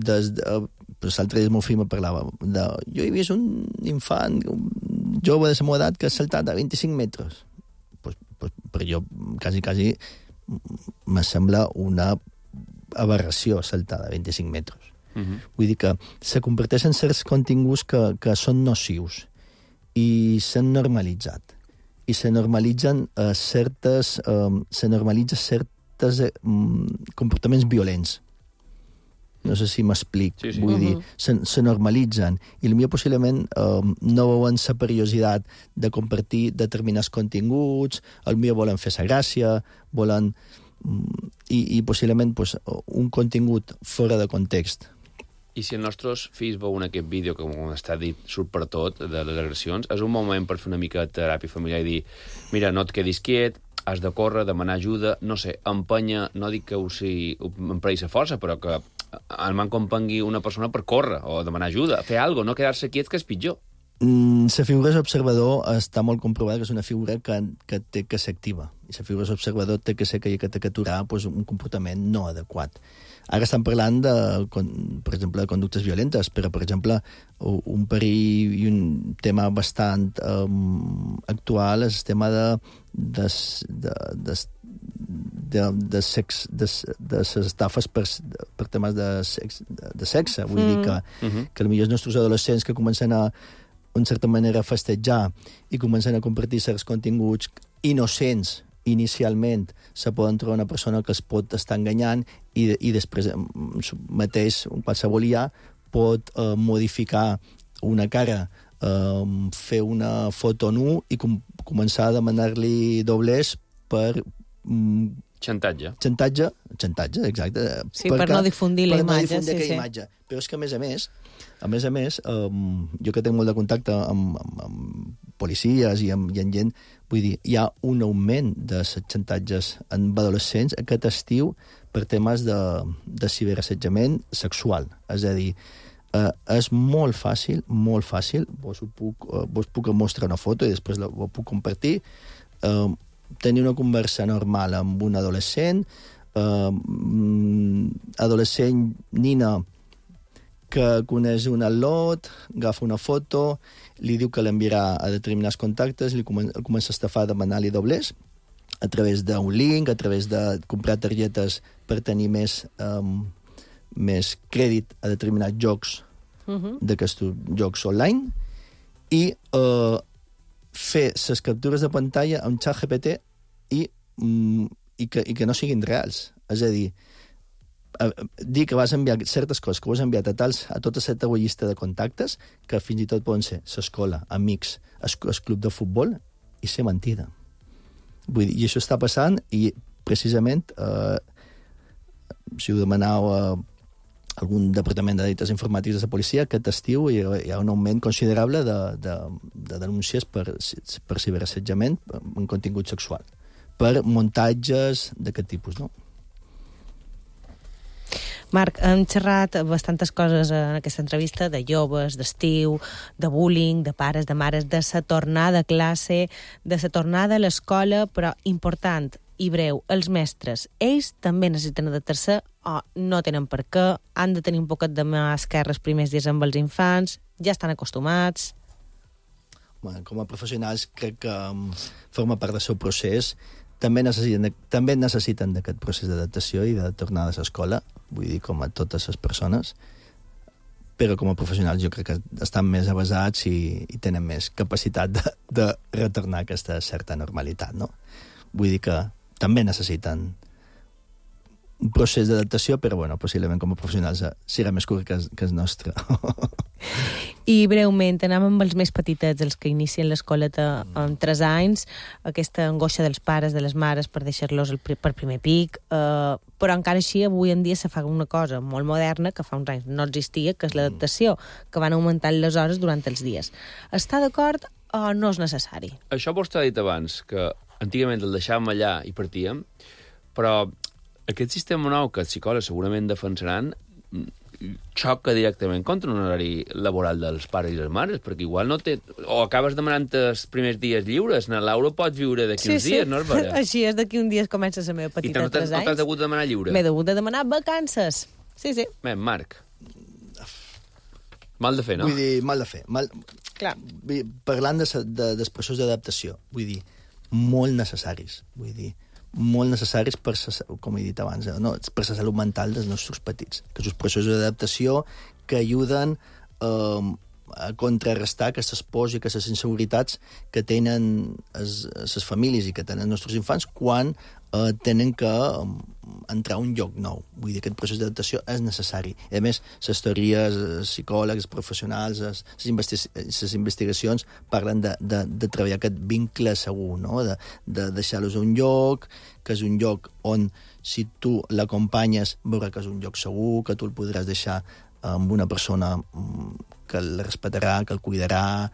Des de, pues, l'altre dia el meu fill me parlava de... Jo he vist un infant, un jove de la meva edat, que ha saltat a vint-i-cinc metres. Pues, pues, per jo, quasi, quasi, me sembla una aberració saltar de vint-i-cinc metres. Uh-huh. Vull dir que se converteixen en certs continguts que, que són nocius i s'han normalitzat. I se normalitzen uh, certes... Uh, se normalitzen certes uh, comportaments violents. No sé si m'explic. Sí, sí. Vull uh-huh. dir, se, se normalitzen. I potser possiblement uh, no veuen la perillositat de compartir determinats continguts, potser volen fer sa gràcia, volen... Um, i, i possiblement pues, un contingut fora de context. I si els nostres fills veuen aquest vídeo, que com està dit, surt per tot, de les agressions, és un moment per fer una mica de teràpia familiar i dir, mira, no et quedis quiet, has de córrer, demanar ajuda, no sé, empenya, no dic que ho sigui, emprei la força, però que el m'acompanyui una persona per córrer o demanar ajuda, fer alguna cosa, no quedar-se quiet, que és pitjor. Mm, la figura d'observador està molt comprovada que és una figura que, que té que ser activa. I la figura d'observador té que ser que hi ha que aturar pues, un comportament no adequat. Ara estan parlant, de, per exemple, de conductes violentes, però, per exemple, un perill i un tema bastant um, actual és el tema de, de, de, de, de, de, sex, de, de les estafes per, per temes de, sex, de, de sexe. Vull mm. dir que, mm-hmm. que potser els nostres adolescents que comencen a, en certa manera, a festejar i comencen a compartir certs continguts innocents inicialment, se poden trobar una persona que es pot estar enganyant i, i després mateix, qualsevol I A pot eh, modificar una cara, eh, fer una foto nu i com, començar a demanar-li doblers per... Mm, Xantatge. Xantatge, xantatge, exacte. Sí, per, per no difundir la imatge. Per no difundir sí, aquella sí. imatge. Però és que, a més a més, a més a més, um, jo que tinc molt de contacte amb, amb, amb policies i amb, i amb gent, vull dir, hi ha un augment de xantatges en adolescents aquest estiu per temes de, de ciberassetjament sexual. És a dir, eh, és molt fàcil, molt fàcil, vos, ho puc, eh, vos puc mostrar una foto i després la, ho puc compartir, eh, tenir una conversa normal amb un adolescent, eh, adolescent nina que coneix un al·lot, agafa una foto, li diu que l'enviarà a determinats contactes, li comença, comença a estafar, a demanar-li doblers a través d'un link, a través de comprar targetes per tenir més, um, més crèdit a determinats jocs uh-huh. d'aquests jocs online i uh, fer les captures de pantalla amb ChatGPT i, mm, i, que, i que no siguin reals. És a dir, dir que vas enviar certes coses que ho has enviat a, tals, a tota certa llista de contactes que fins i tot poden ser l'escola, amics, el, el club de futbol, i ser mentida. Vull dir, i això està passant i precisament eh, si ho demaneu a algun departament de delictes informàtics de la policia, aquest estiu hi ha, hi ha un augment considerable de, de, de denúncies per, per ciberassetjament en contingut sexual, per muntatges d'aquest tipus, no? Marc, hem xerrat bastantes coses en aquesta entrevista, de joves, d'estiu, de bullying, de pares, de mares, de la tornada a classe, de la tornada a l'escola, però important i breu, els mestres, ells també necessiten adaptar-se o no tenen per què, han de tenir un poquet de mà esquerra els primers dies amb els infants, ja estan acostumats... Bueno, com a professionals crec que um, forma part del seu procés. També necessiten, també necessiten d'aquest procés d'adaptació i de tornada a l'escola, vull dir, com a totes les persones, però com a professionals jo crec que estan més avasats i, i tenen més capacitat de, de retornar a aquesta certa normalitat, no? Vull dir que també necessiten un procés d'adaptació, però, bueno, possiblement com a professionals serà més curt que, que el nostre. I breument, anem amb els més petitets, els que inicien l'escoleta amb tres anys, aquesta angoixa dels pares, de les mares, per deixar-los per primer pic, eh, però encara així avui en dia se fa una cosa molt moderna que fa uns anys no existia, que és l'adaptació, que van augmentant les hores durant els dies. Està d'acord o no és necessari? Això vostè ha dit abans, que antigament el deixàvem allà i partíem, però aquest sistema nou que els psicòlegs segurament defensaran xoca directament contra un horari laboral dels pares i les mares, perquè igual no té... O acabes demanant els primers dies lliures, na Laura pot viure d'aquí sí, uns sí. dies, no és vera? Així és, d'aquí un dia comença la meva petita de tres anys. I no t'has hagut de demanar lliure? M'he hagut de demanar vacances. Sí, sí. Ben, Marc. Mal de fer, no? Vull dir, mal de fer. Mal... Clar. Vull dir, parlant de, de, dels processos d'adaptació, vull dir, molt necessaris. Vull dir, molt necessaris per, com he dit abans, no? per la salut mental dels nostres petits. Que són processos d'adaptació que ajuden eh, a contrarrestar aquestes pors i aquestes inseguretats que tenen les famílies i que tenen els nostres infants quan eh, tenen que eh, entrar a un lloc nou. Vull dir, aquest procés d'adaptació és necessari. I a més, les teories, els psicòlegs, els professionals, les, investi les investigacions parlen de, de, de treballar aquest vincle segur, no? de, de deixar-los a un lloc, que és un lloc on, si tu l'acompanyes, veurà que és un lloc segur, que tu el podràs deixar amb una persona que el respetarà, que el cuidarà,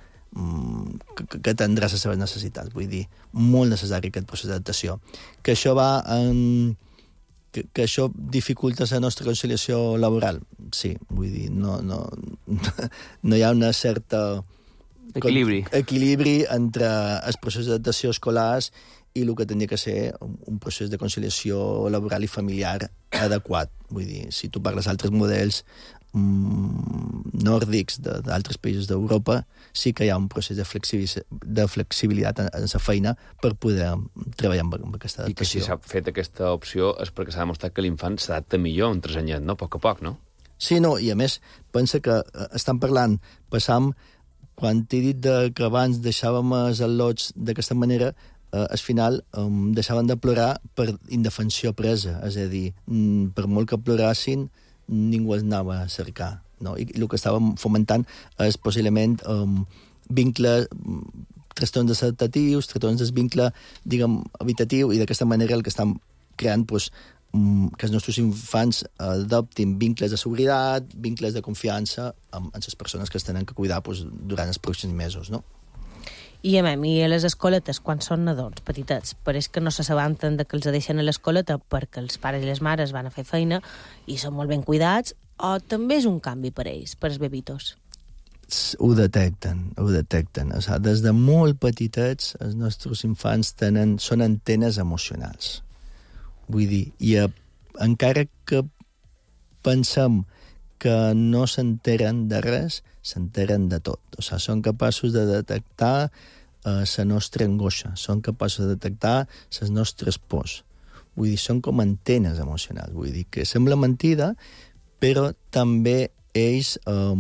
que, que tindrà les seves necessitats. Vull dir, molt necessari aquest procés d'adaptació. Que això va en... Que, que això dificulta la nostra conciliació laboral? Sí, vull dir, no, no, no hi ha una certa... Equilibri. Equilibri entre els processos d'adaptació escolars i el que tenia que ser un procés de conciliació laboral i familiar adequat. Vull dir, si tu parles d'altres models mm, nòrdics d'altres països d'Europa, sí que hi ha un procés de, de flexibilitat en la feina per poder treballar amb, amb aquesta adaptació. I que si s'ha fet aquesta opció és perquè s'ha demostrat que l'infant s'adapta millor en tres anyet, no? A poc a poc, no? Sí, no, i a més, pensa que estan parlant, passam, quan t'he dit de, que abans deixàvem els al·lots d'aquesta manera, eh, al final eh, deixaven de plorar per indefensió presa, és a dir, mm, per molt que plorassin, ningú els anava a cercar, no? I el que estàvem fomentant és possiblement um, vincles, trastorns desadaptatius, trastorns desvincle, diguem, habitatiu, i d'aquesta manera el que estan creant, pues, um, que els nostres infants adoptin vincles de seguretat, vincles de confiança amb, amb les persones que es tenen que cuidar, pues, durant els pròxims mesos, no? I a mi, i a les escoletes, quan són nadons petitets, pareix que no s'assabenten de que els deixen a l'escoleta perquè els pares i les mares van a fer feina i són molt ben cuidats, o també és un canvi per ells, per els bebitos? Ho detecten, ho detecten. O sigui, des de molt petitets els nostres infants tenen, són antenes emocionals. Vull dir, i a, encara que pensem que no s'enteren de res, s'enteren de tot. O sigui, són capaços de detectar la eh, nostra angoixa, són capaços de detectar les nostres pors. Vull dir, són com antenes emocionals. Vull dir que sembla mentida, però també ells eh,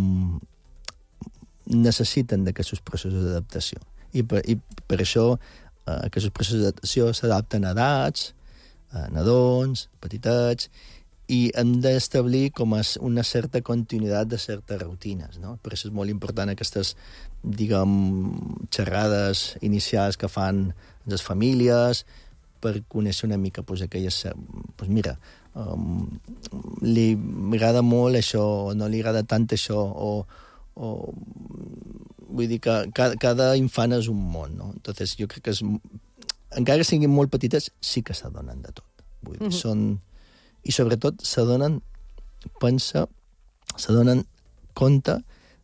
necessiten d'aquests processos d'adaptació. I per, i per això eh, aquests processos d'adaptació s'adapten a edats, a nadons, petitets, i hem d'establir com a una certa continuïtat de certes rutines, no? Per això és molt important aquestes, diguem, xerrades inicials que fan les famílies per conèixer una mica pues, aquelles... Pues mira, um, li agrada molt això, o no li agrada tant això, o... o vull dir que cada, cada infant és un món, no? Entonces, jo crec que és... Encara que siguin molt petites, sí que s'adonen de tot. Vull dir, mm-hmm. són... I sobretot s'adonen, pensa, s'adonen compte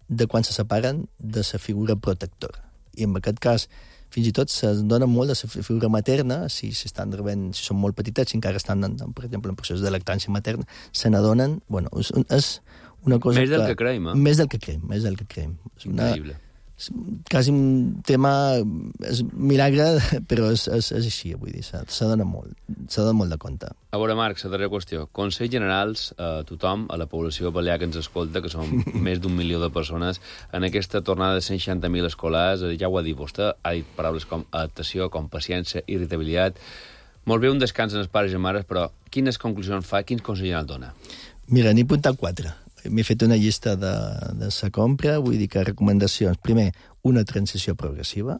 de quan se separen de la figura protectora. I en aquest cas, fins i tot s'adonen molt de la figura materna, si, si, estan rebent, si són molt petitets, si encara estan, en, per exemple, en procés de lactància materna, se n'adonen, bueno, és, és una cosa més del que, que creiem, eh? Més del que creiem, més del que creiem. És una, increïble. És quasi un tema... És milagre, però és, és, és així, vull dir, s'adona molt, s'adona molt de compte. A veure, Marc, la darrera qüestió. Consells generals a tothom, a la població balear que ens escolta, que som més d'un milió de persones, en aquesta tornada de cent seixanta mil escolars, ja ho ha dit vostè, ha dit paraules com adaptació, com paciència, irritabilitat... Molt bé un descans en els pares i mares, però quines conclusions fa, quins consells generals dona? Mira, n'he apuntat quatre. M'he fet una llista de, de sa compra, vull dir que recomanacions. Primer, una transició progressiva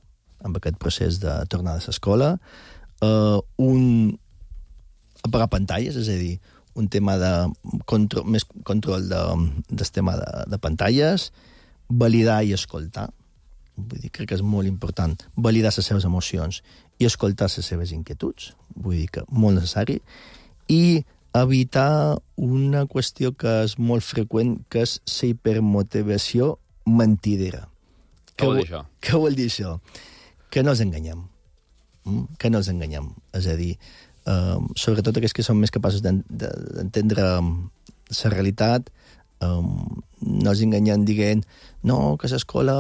amb aquest procés de tornada a l'escola, uh, un apagar pantalles, és a dir, un tema de control, més control de, del tema de, de pantalles, validar i escoltar. Vull dir, crec que és molt important validar les seves emocions i escoltar les seves inquietuds. Vull dir que molt necessari. I evitar una qüestió que és molt freqüent, que és la hipermotivació mentidera. Què vol dir això? Què vol dir això? Que no ens enganyem. Mm? Que no ens enganyem. És a dir, um, sobretot aquells que són més capaços d'entendre la realitat, um, no ens enganyem dient no, que l'escola...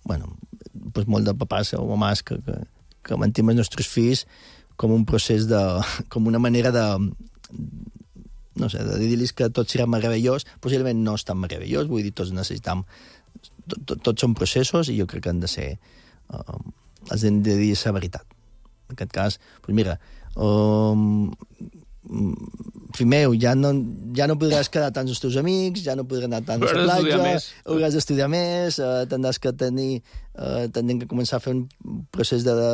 Bueno, pues molt de papàs o mamàs que, que, que mantim els nostres fills com un procés de... com una manera de... no sé, de dir-los que tot serà meravellós, possiblement no és tan meravellós, vull dir, tots necessitam... Tot, tot, tots són processos i jo crec que han de ser... Uh, els hem de dir la veritat. En aquest cas, doncs mira, um, fill meu, ja no, ja no podràs quedar tant amb els teus amics, ja no podràs anar tant a la platja, hauràs d'estudiar més, uh, tindràs que tenir... Uh, tindrem que començar a fer un procés de, de,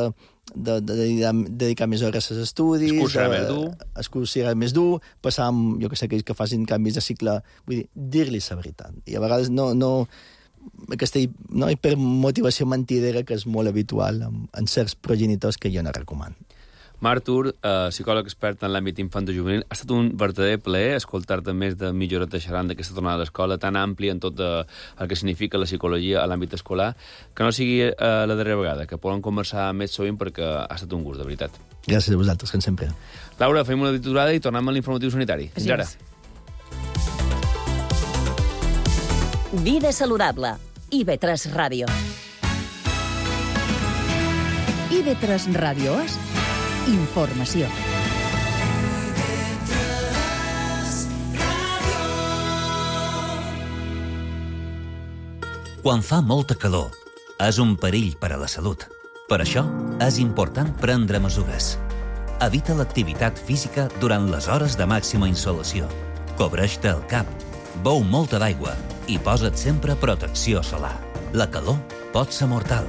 de, de, de dedicar més hores als estudis... El curs serà més dur. El curs serà més dur, passar amb, jo que sé, aquells que facin canvis de cicle... Vull dir, dir-li la veritat. I a vegades no... no aquesta no, hipermotivació mentidera que és molt habitual en, en certs progenitors que jo no recomano. Marc Tur, eh, psicòleg expert en l'àmbit infantojuvenil, ha estat un verdader plaer escoltar-te més de mitja horeta xerrant d'aquesta tornada a l'escola, tan àmplia en tot de, el que significa la psicologia a l'àmbit escolar, que no sigui eh, la darrera vegada, que poden conversar més sovint perquè ha estat un gust, de veritat. Gràcies a vosaltres, com sempre. Laura, fem una aturada i tornem a l'informatiu sanitari. Fins ara. Vida saludable. I ve tres Ràdio. I ve tres Ràdio és informació. Quan fa molta calor, és un perill per a la salut. Per això, és important prendre mesures. Evita l'activitat física durant les hores de màxima insolació. Cobreix-te el cap, beu molta d'aigua i posa't sempre protecció solar. La calor pot ser mortal.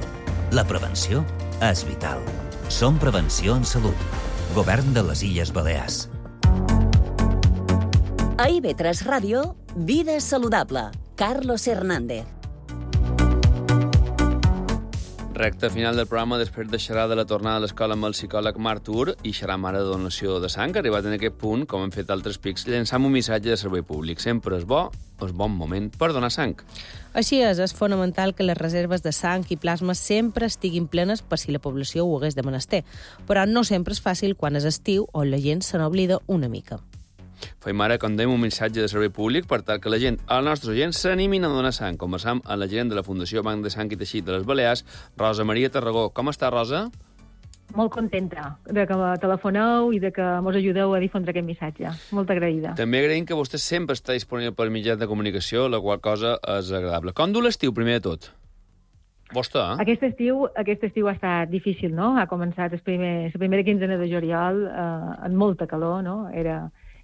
La prevenció és vital. Som Prevenció en Salut. Govern de les Illes Balears. A I ve tres Ràdio, Vida saludable. Carlos Hernández. Recte final del programa, després de xerrar de la tornada a l'escola amb el psicòleg Marc Tur i xerrar ara de donació de sang, arribat en aquest punt, com hem fet altres pics, llançam un missatge de servei públic. Sempre és bo, és bon moment per donar sang. Així és, és fonamental que les reserves de sang i plasma sempre estiguin plenes per si la població ho hagués de menester, però no sempre és fàcil quan és estiu on la gent se n'oblida una mica. Fem ara, com dèiem, un missatge de servei públic per tal que la gent, el nostre gent, s'animin a donar sang. Conversam amb la gerent de la Fundació Banc de Sang i Teixit de les Balears, Rosa Maria Tarragó. Com està, Rosa? Molt contenta de que telefoneu i de que mos ajudeu a difondre aquest missatge. Molt agraïda. També agraïm que vostè sempre està disponible per mitjans de comunicació, la qual cosa és agradable. Com du l'estiu, primer de tot? Vostè, eh? Aquest estiu, aquest estiu ha estat difícil, no? Ha començat el primer, la primera quinzena de juliol eh, amb molta calor, no? Era...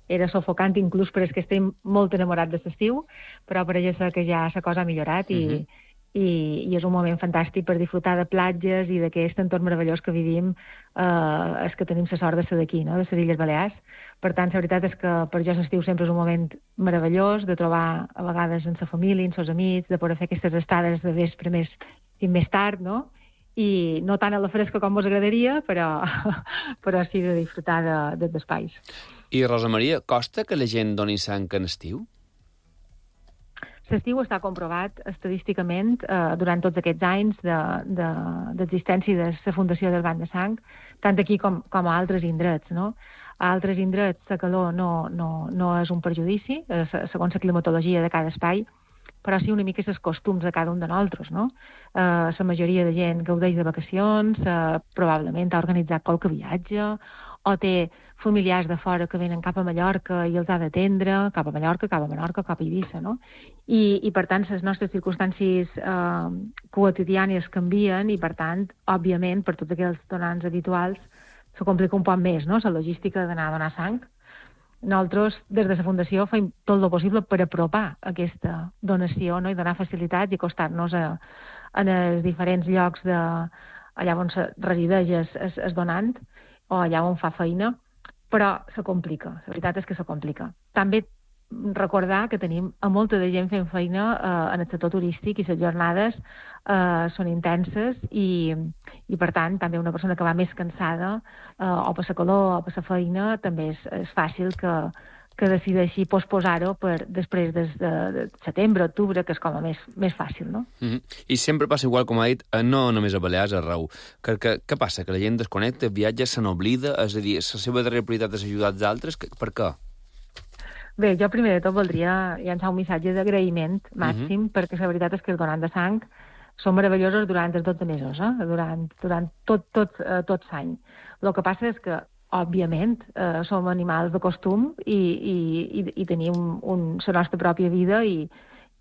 era sofocant inclús, però és que estem molt enamorats de l'estiu, però pareix ser que ja la cosa ha millorat i, uh-huh. i, i és un moment fantàstic per disfrutar de platges i d'aquest entorn meravellós que vivim, eh, és que tenim la sort de ser d'aquí, no?, de les Illes Balears. Per tant, la veritat és que per jo l'estiu sempre és un moment meravellós, de trobar a vegades amb la família, amb els amics, de poder fer aquestes estades de vespre més, i més tard, no?, i no tant a la fresca com vos agradaria, però, però sí de disfrutar de, de, d'espais. I, Rosa Maria, costa que la gent doni sang en estiu? L'estiu està comprovat estadísticament eh, durant tots aquests anys d'existència de, de, de la Fundació del Banc de Sang, tant aquí com, com a altres indrets, no? A altres indrets la calor no, no, no és un perjudici, eh, segons la climatologia de cada espai, però sí una mica els costums de cada un de nosaltres, no? Eh, la majoria de gent gaudeix de vacacions, eh, probablement ha organitzat qualque viatge, o té familiars de fora que venen cap a Mallorca i els ha d'atendre, cap a Mallorca, cap a Menorca, cap a Eivissa, no? I, i per tant, les nostres circumstàncies eh, quotidianes canvien i, per tant, òbviament, per tots aquells donants habituals, se complica un poc més, no?, la logística d'anar a donar sang. Nosaltres, des de la Fundació, fem tot el possible per apropar aquesta donació, no?, i donar facilitats i acostar-nos a, a els diferents llocs de, allà on se resideix es, es, es donant o allà on fa feina, però se complica, la veritat és que se complica. També recordar que tenim a molta de gent fent feina eh, en el sector turístic i les jornades eh, són intenses i, i, per tant, també una persona que va més cansada eh, o per la calor o per la feina també és, és fàcil que, que decideixi posposar-ho per després de, de, de setembre, octubre, que és com a més, més fàcil, no? Mm-hmm. I sempre passa igual, com ha dit, no només a Balears, arreu. Que, que, què passa? Que la gent desconnecta, viatja, se n'oblida? És a dir, la seva darrera prioritat és ajudar els altres? Per què? Bé, jo primer de tot voldria llançar un missatge d'agraïment màxim, uh-huh. perquè la veritat és que els donants de sang són meravellosos durant els dotze mesos, eh? durant, durant tot, tot, eh, tot l'any. El que passa és que, òbviament, eh, som animals de costum i, i, i, i tenim un, la nostra pròpia vida i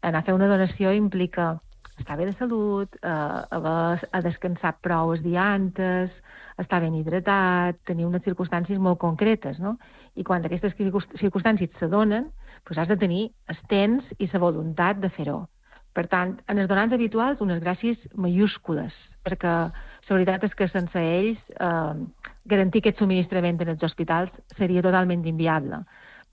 anar a fer una donació implica estar bé de salut, eh, haver a descansar prou els dies antes, estar ben hidratat, tenir unes circumstàncies molt concretes, no? I quan aquestes circumstàncies se donen, doncs has de tenir el temps i la voluntat de fer-ho. Per tant, en els donants habituals, unes gràcies mayúscules, perquè la veritat és que sense ells eh, garantir aquest subministrament en els hospitals seria totalment inviable.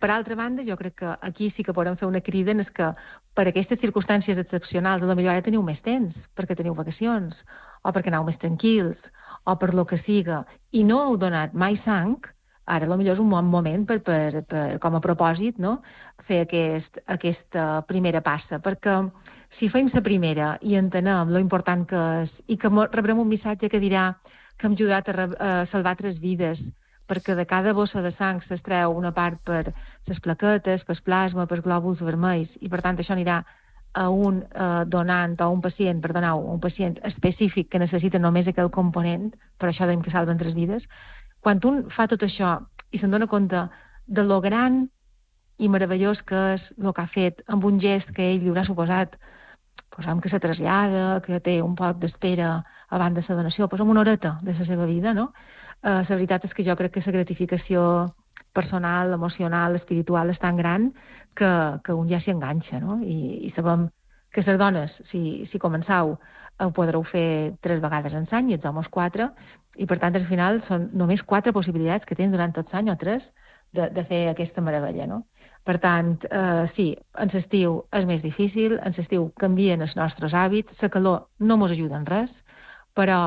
Per altra banda, jo crec que aquí sí que podem fer una crida, és que per aquestes circumstàncies excepcionals, potser ara teniu més temps, perquè teniu vacacions, o perquè aneu més tranquils, o per lo que siga, i no heu donat mai sang, ara potser és un bon moment per, per, per, com a propòsit, no?, fer aquest, aquesta primera passa, perquè si fem la primera i entenem lo important que és i que rebrem un missatge que dirà que hem ajudat a, a salvar tres vides, perquè de cada bossa de sang s'extreu una part per les plaquetes, per plasma, per glòbuls vermells, i per tant això anirà a un eh, donant o un pacient, perdoneu, un pacient específic que necessita només aquell component, per això dèiem que salven tres vides. Quan un fa tot això i se'n dona compte de lo gran i meravellós que és el que ha fet, amb un gest que ell li haurà suposat, posem que se trasllada, que té un poc d'espera abans de la donació, posem una horeta de la seva vida, no? Eh, la veritat és que jo crec que la gratificació personal, emocional, espiritual és tan gran que, que un ja s'hi enganxa, no? I, i sabem que les dones, si, si començau, ho podreu fer tres vegades en l'any i els homes quatre, i per tant al final són només quatre possibilitats que tens durant tot l'any o tres de, de fer aquesta meravella, no? Per tant, eh, sí, en l'estiu és més difícil, en l'estiu canvien els nostres hàbits, la calor no ens ajuda en res, però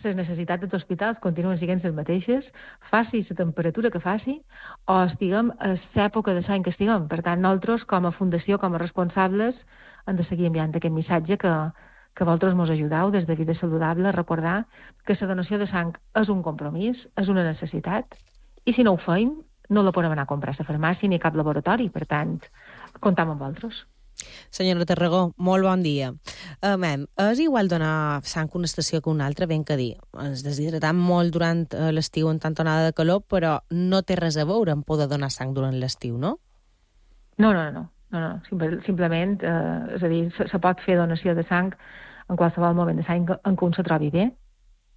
les necessitats dels hospitals continuen sent les mateixes, faci la temperatura que faci, o estiguem a l'època de l'any que estiguem. Per tant, nosaltres, com a fundació, com a responsables, hem de seguir enviant aquest missatge que, que vosaltres ens ajudeu des de Vida Saludable a recordar que la donació de sang és un compromís, és una necessitat, i si no ho feim, no la podem anar a comprar a la farmàcia ni a cap laboratori. Per tant, comptam amb vosaltres. Senyora Tarragó, molt bon dia. Uh, mem, és igual donar sang a una estació que una altra, ben que dir. Ens deshidratam molt durant uh, l'estiu en tanta onada de calor, però no té res a veure amb poder donar sang durant l'estiu, no? No, no, no. no, no. Simple, simplement, eh, és a dir, se, se pot fer donació de sang en qualsevol moment de l'any en què un se trobi bé,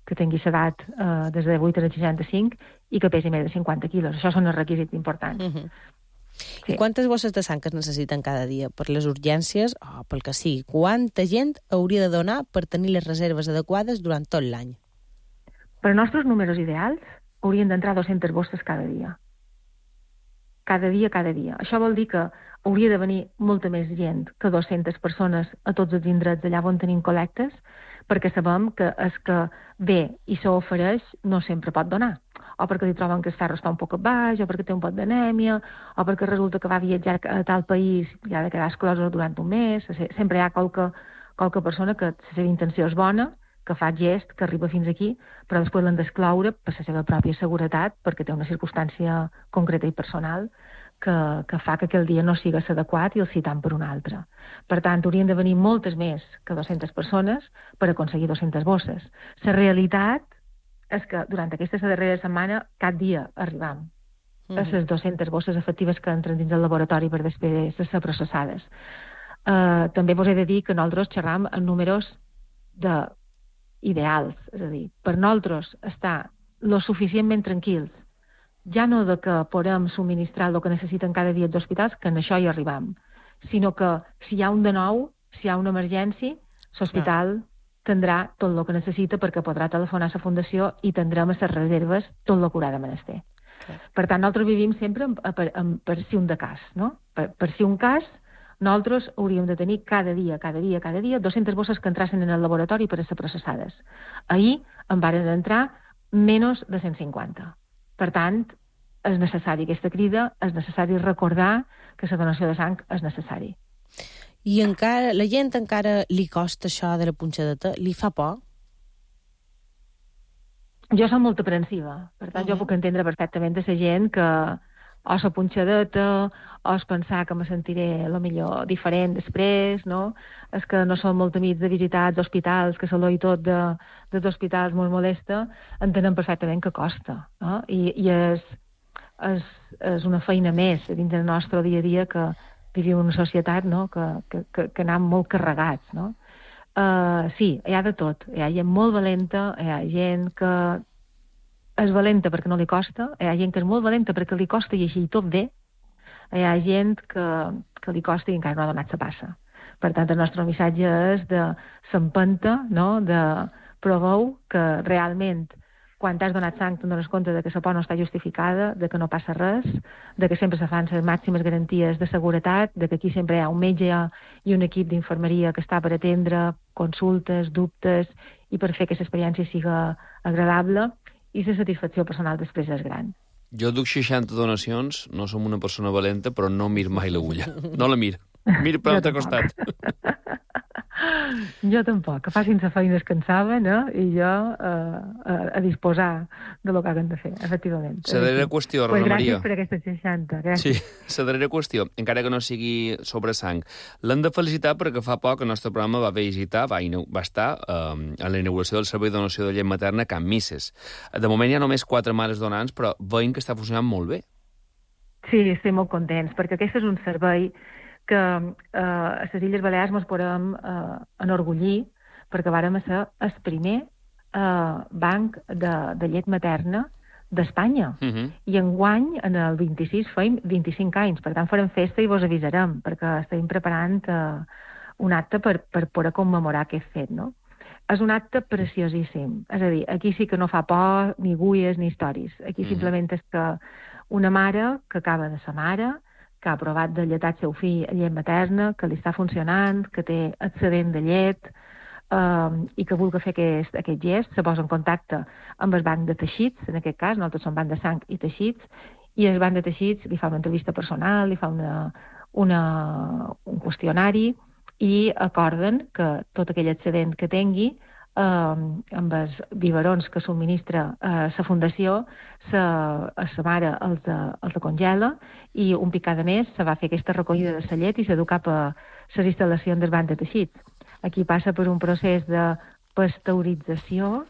que tingui l'edat eh, des de vuit a seixanta-cinc i que pesi més de cinquanta quilos. Això són els requisits importants. Uh-huh. Sí. I quantes bosses de sang es necessiten cada dia per les urgències o pel que sigui? Quanta gent hauria de donar per tenir les reserves adequades durant tot l'any? Per als nostres números ideals haurien d'entrar dues-centes bosses cada dia. Cada dia, cada dia. Això vol dir que hauria de venir molta més gent que dues-centes persones a tots els indrets allà on tenim col·lectes, perquè sabem que és que ve i s'ofereix no sempre pot donar. O perquè li troben que el ferro està un poc baix, o perquè té un pot d'anèmia, o perquè resulta que va viatjar a tal país i ha de quedar exclosa durant un mes. Sempre hi ha qualque, qualque persona que la seva intenció és bona, que fa gest, que arriba fins aquí, però després l'han d'excloure per la seva pròpia seguretat, perquè té una circumstància concreta i personal que, que fa que aquell dia no sigui adequat i el citant per un altre. Per tant, haurien de venir moltes més que dues-centes persones per aconseguir dues-centes bosses. La realitat és que durant aquesta darrera setmana cap dia arribam mm. a les dues-centes bosses efectives que entren dins el laboratori per després de ser processades. Uh, també vos he de dir que nosaltres xerram en números de ideals, és a dir, per nosaltres estar lo suficientment tranquils, ja no de que podem subministrar el que necessiten cada dia els hospitals, que en això hi arribam, sinó que si hi ha un de nou, si hi ha una emergència, l'hospital tindrà tot el que necessita perquè podrà telefonar a la Fundació i tindrem a les reserves tot el que haurà de menester. Okay. Per tant, nosaltres vivim sempre en, en, en, per si un de cas, no? Per, per si un cas, nosaltres hauríem de tenir cada dia, cada dia, cada dia, dues-centes bosses que entrassin en el laboratori per a ser processades. Ahir en varen entrar menys de cent cinquanta. Per tant, és necessari aquesta crida, és necessari recordar que la donació de sang és necessari. I encara, la gent encara li costa això de la punxadeta? Li fa por? Jo soc molt aprensiva, per tant, uh-huh. jo puc entendre perfectament de la gent que o la punxadeta, o es pensar que me sentiré a lo millor diferent després, no? És que no som molt amics de visitar els hospitals, que l'olor i tot de, dels hospitals molt molesta, entenem perfectament que costa, no? I, i és, és, és una feina més dins del nostre dia a dia que vivim en una societat, no? que, que, que, que anem molt carregats, no? Uh, sí, hi ha de tot. Hi ha gent molt valenta, hi ha gent que és valenta perquè no li costa, hi ha gent que és molt valenta perquè li costa i així tot bé, hi ha gent que, que li costa i encara no ha donat la passa. Per tant, el nostre missatge és de s'empenta, no? de proveu que realment quan t'has donat sang te'n dones compte de que la por no està justificada, de que no passa res, de que sempre se fan les màximes garanties de seguretat, de que aquí sempre hi ha un metge i un equip d'infermeria que està per atendre consultes, dubtes i per fer que l'experiència siga agradable, i la satisfacció personal després és gran. Jo duc seixanta donacions, no som una persona valenta, però no mir mai l'agulla. No la mir. Mir per l'altre costat. Jo tampoc, que facin la feina que en saben, eh? I jo eh, a, a disposar de lo que hagin de fer, efectivament. La darrera qüestió, Rosa pues Maria. Gràcies per aquestes seixanta, gràcies. Sí, la darrera qüestió, encara que no sigui sobre sang. L'hem de felicitar perquè fa poc el nostre programa va visitar, va, va estar eh, a la inauguració del servei de donació de llet materna a Can Misses. De moment hi ha només quatre mares donants, però veiem que està funcionant molt bé. Sí, estem molt contents, perquè aquest és un servei que eh, a les Illes Balears ens podem eh, enorgullir perquè vàrem ser el primer eh, banc de, de llet materna d'Espanya. Uh-huh. I enguany, en el vint-i-sis, feim vint-i-cinc anys. Per tant, farem festa i vos avisarem, perquè estem preparant eh, un acte per, per poder commemorar aquest fet, no? És un acte preciosíssim. És a dir, aquí sí que no fa por, ni gulles, ni històries. Aquí uh-huh. simplement és que una mare que acaba de ser mare, que ha provat de lletar el seu fill a llet materna, que li està funcionant, que té excedent de llet, eh, i que vulgui fer aquest, aquest gest, se posa en contacte amb el banc de teixits, en aquest cas, nosaltres som banc de sang i teixits, i el banc de teixits li fa una entrevista personal, li fa una, una, un qüestionari, i acorden que tot aquell excedent que tingui, eh, amb els biberons que subministra eh, la Fundació, sa, a sa mare els de, els de congela, i un pic cada mes se va fer aquesta recollida de la llet i se du cap a les instal·lacions del banc de teixits. Aquí passa per un procés de pasteurització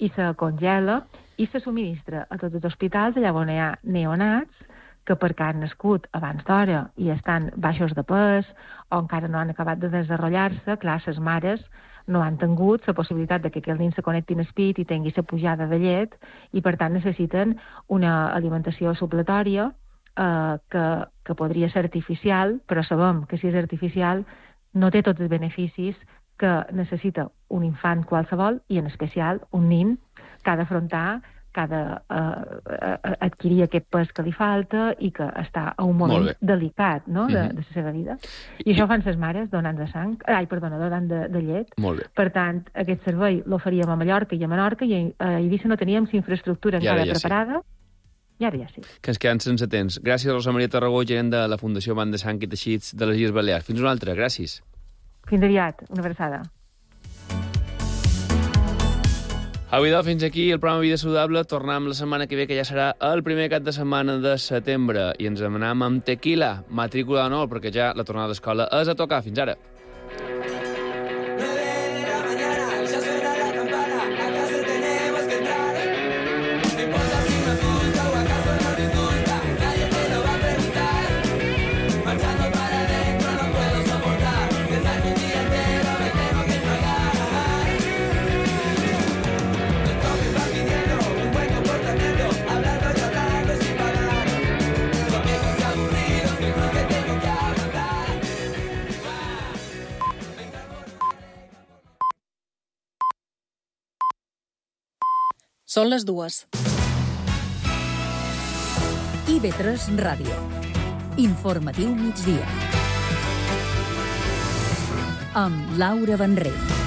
i se congela i se subministra a tots els hospitals allà on hi ha neonats que perquè han nascut abans d'hora i estan baixos de pes o encara no han acabat de desenvolupar-se, clar, les mares no han tingut la possibilitat de que aquell nin se connecti en el pit i tingui la pujada de llet i, per tant, necessiten una alimentació supletòria eh, que, que podria ser artificial, però sabem que si és artificial no té tots els beneficis que necessita un infant qualsevol, i en especial un nin que ha d'afrontar, que ha d'adquirir aquest pes que li falta i que està a un moment delicat, no?, de, de la seva vida. I això fan les mares donant de sang, ai, perdona, donant de, de llet. Molt bé. Per tant, aquest servei l'oferíem a Mallorca i a Menorca, i a Eivissa no teníem la infraestructura encara ja preparada, i ara ja sí. Que ens queden sense temps. Gràcies, Rosa Maria Tarragó, gerent de la Fundació Banc de Sang i Teixits de les Illes Balears. Fins una altra, gràcies. Fins aviat, una abraçada. Avui, doncs, fins aquí el programa Vida Saludable. Tornem la setmana que ve, que ja serà el primer cap de setmana de setembre. I ens anem amb Tequila, matrícula d'honor, perquè ja la tornada a l'escola és a tocar. Fins ara. Són les dues. I ve tres Ràdio. Informatiu migdia. Amb Laura Benrell.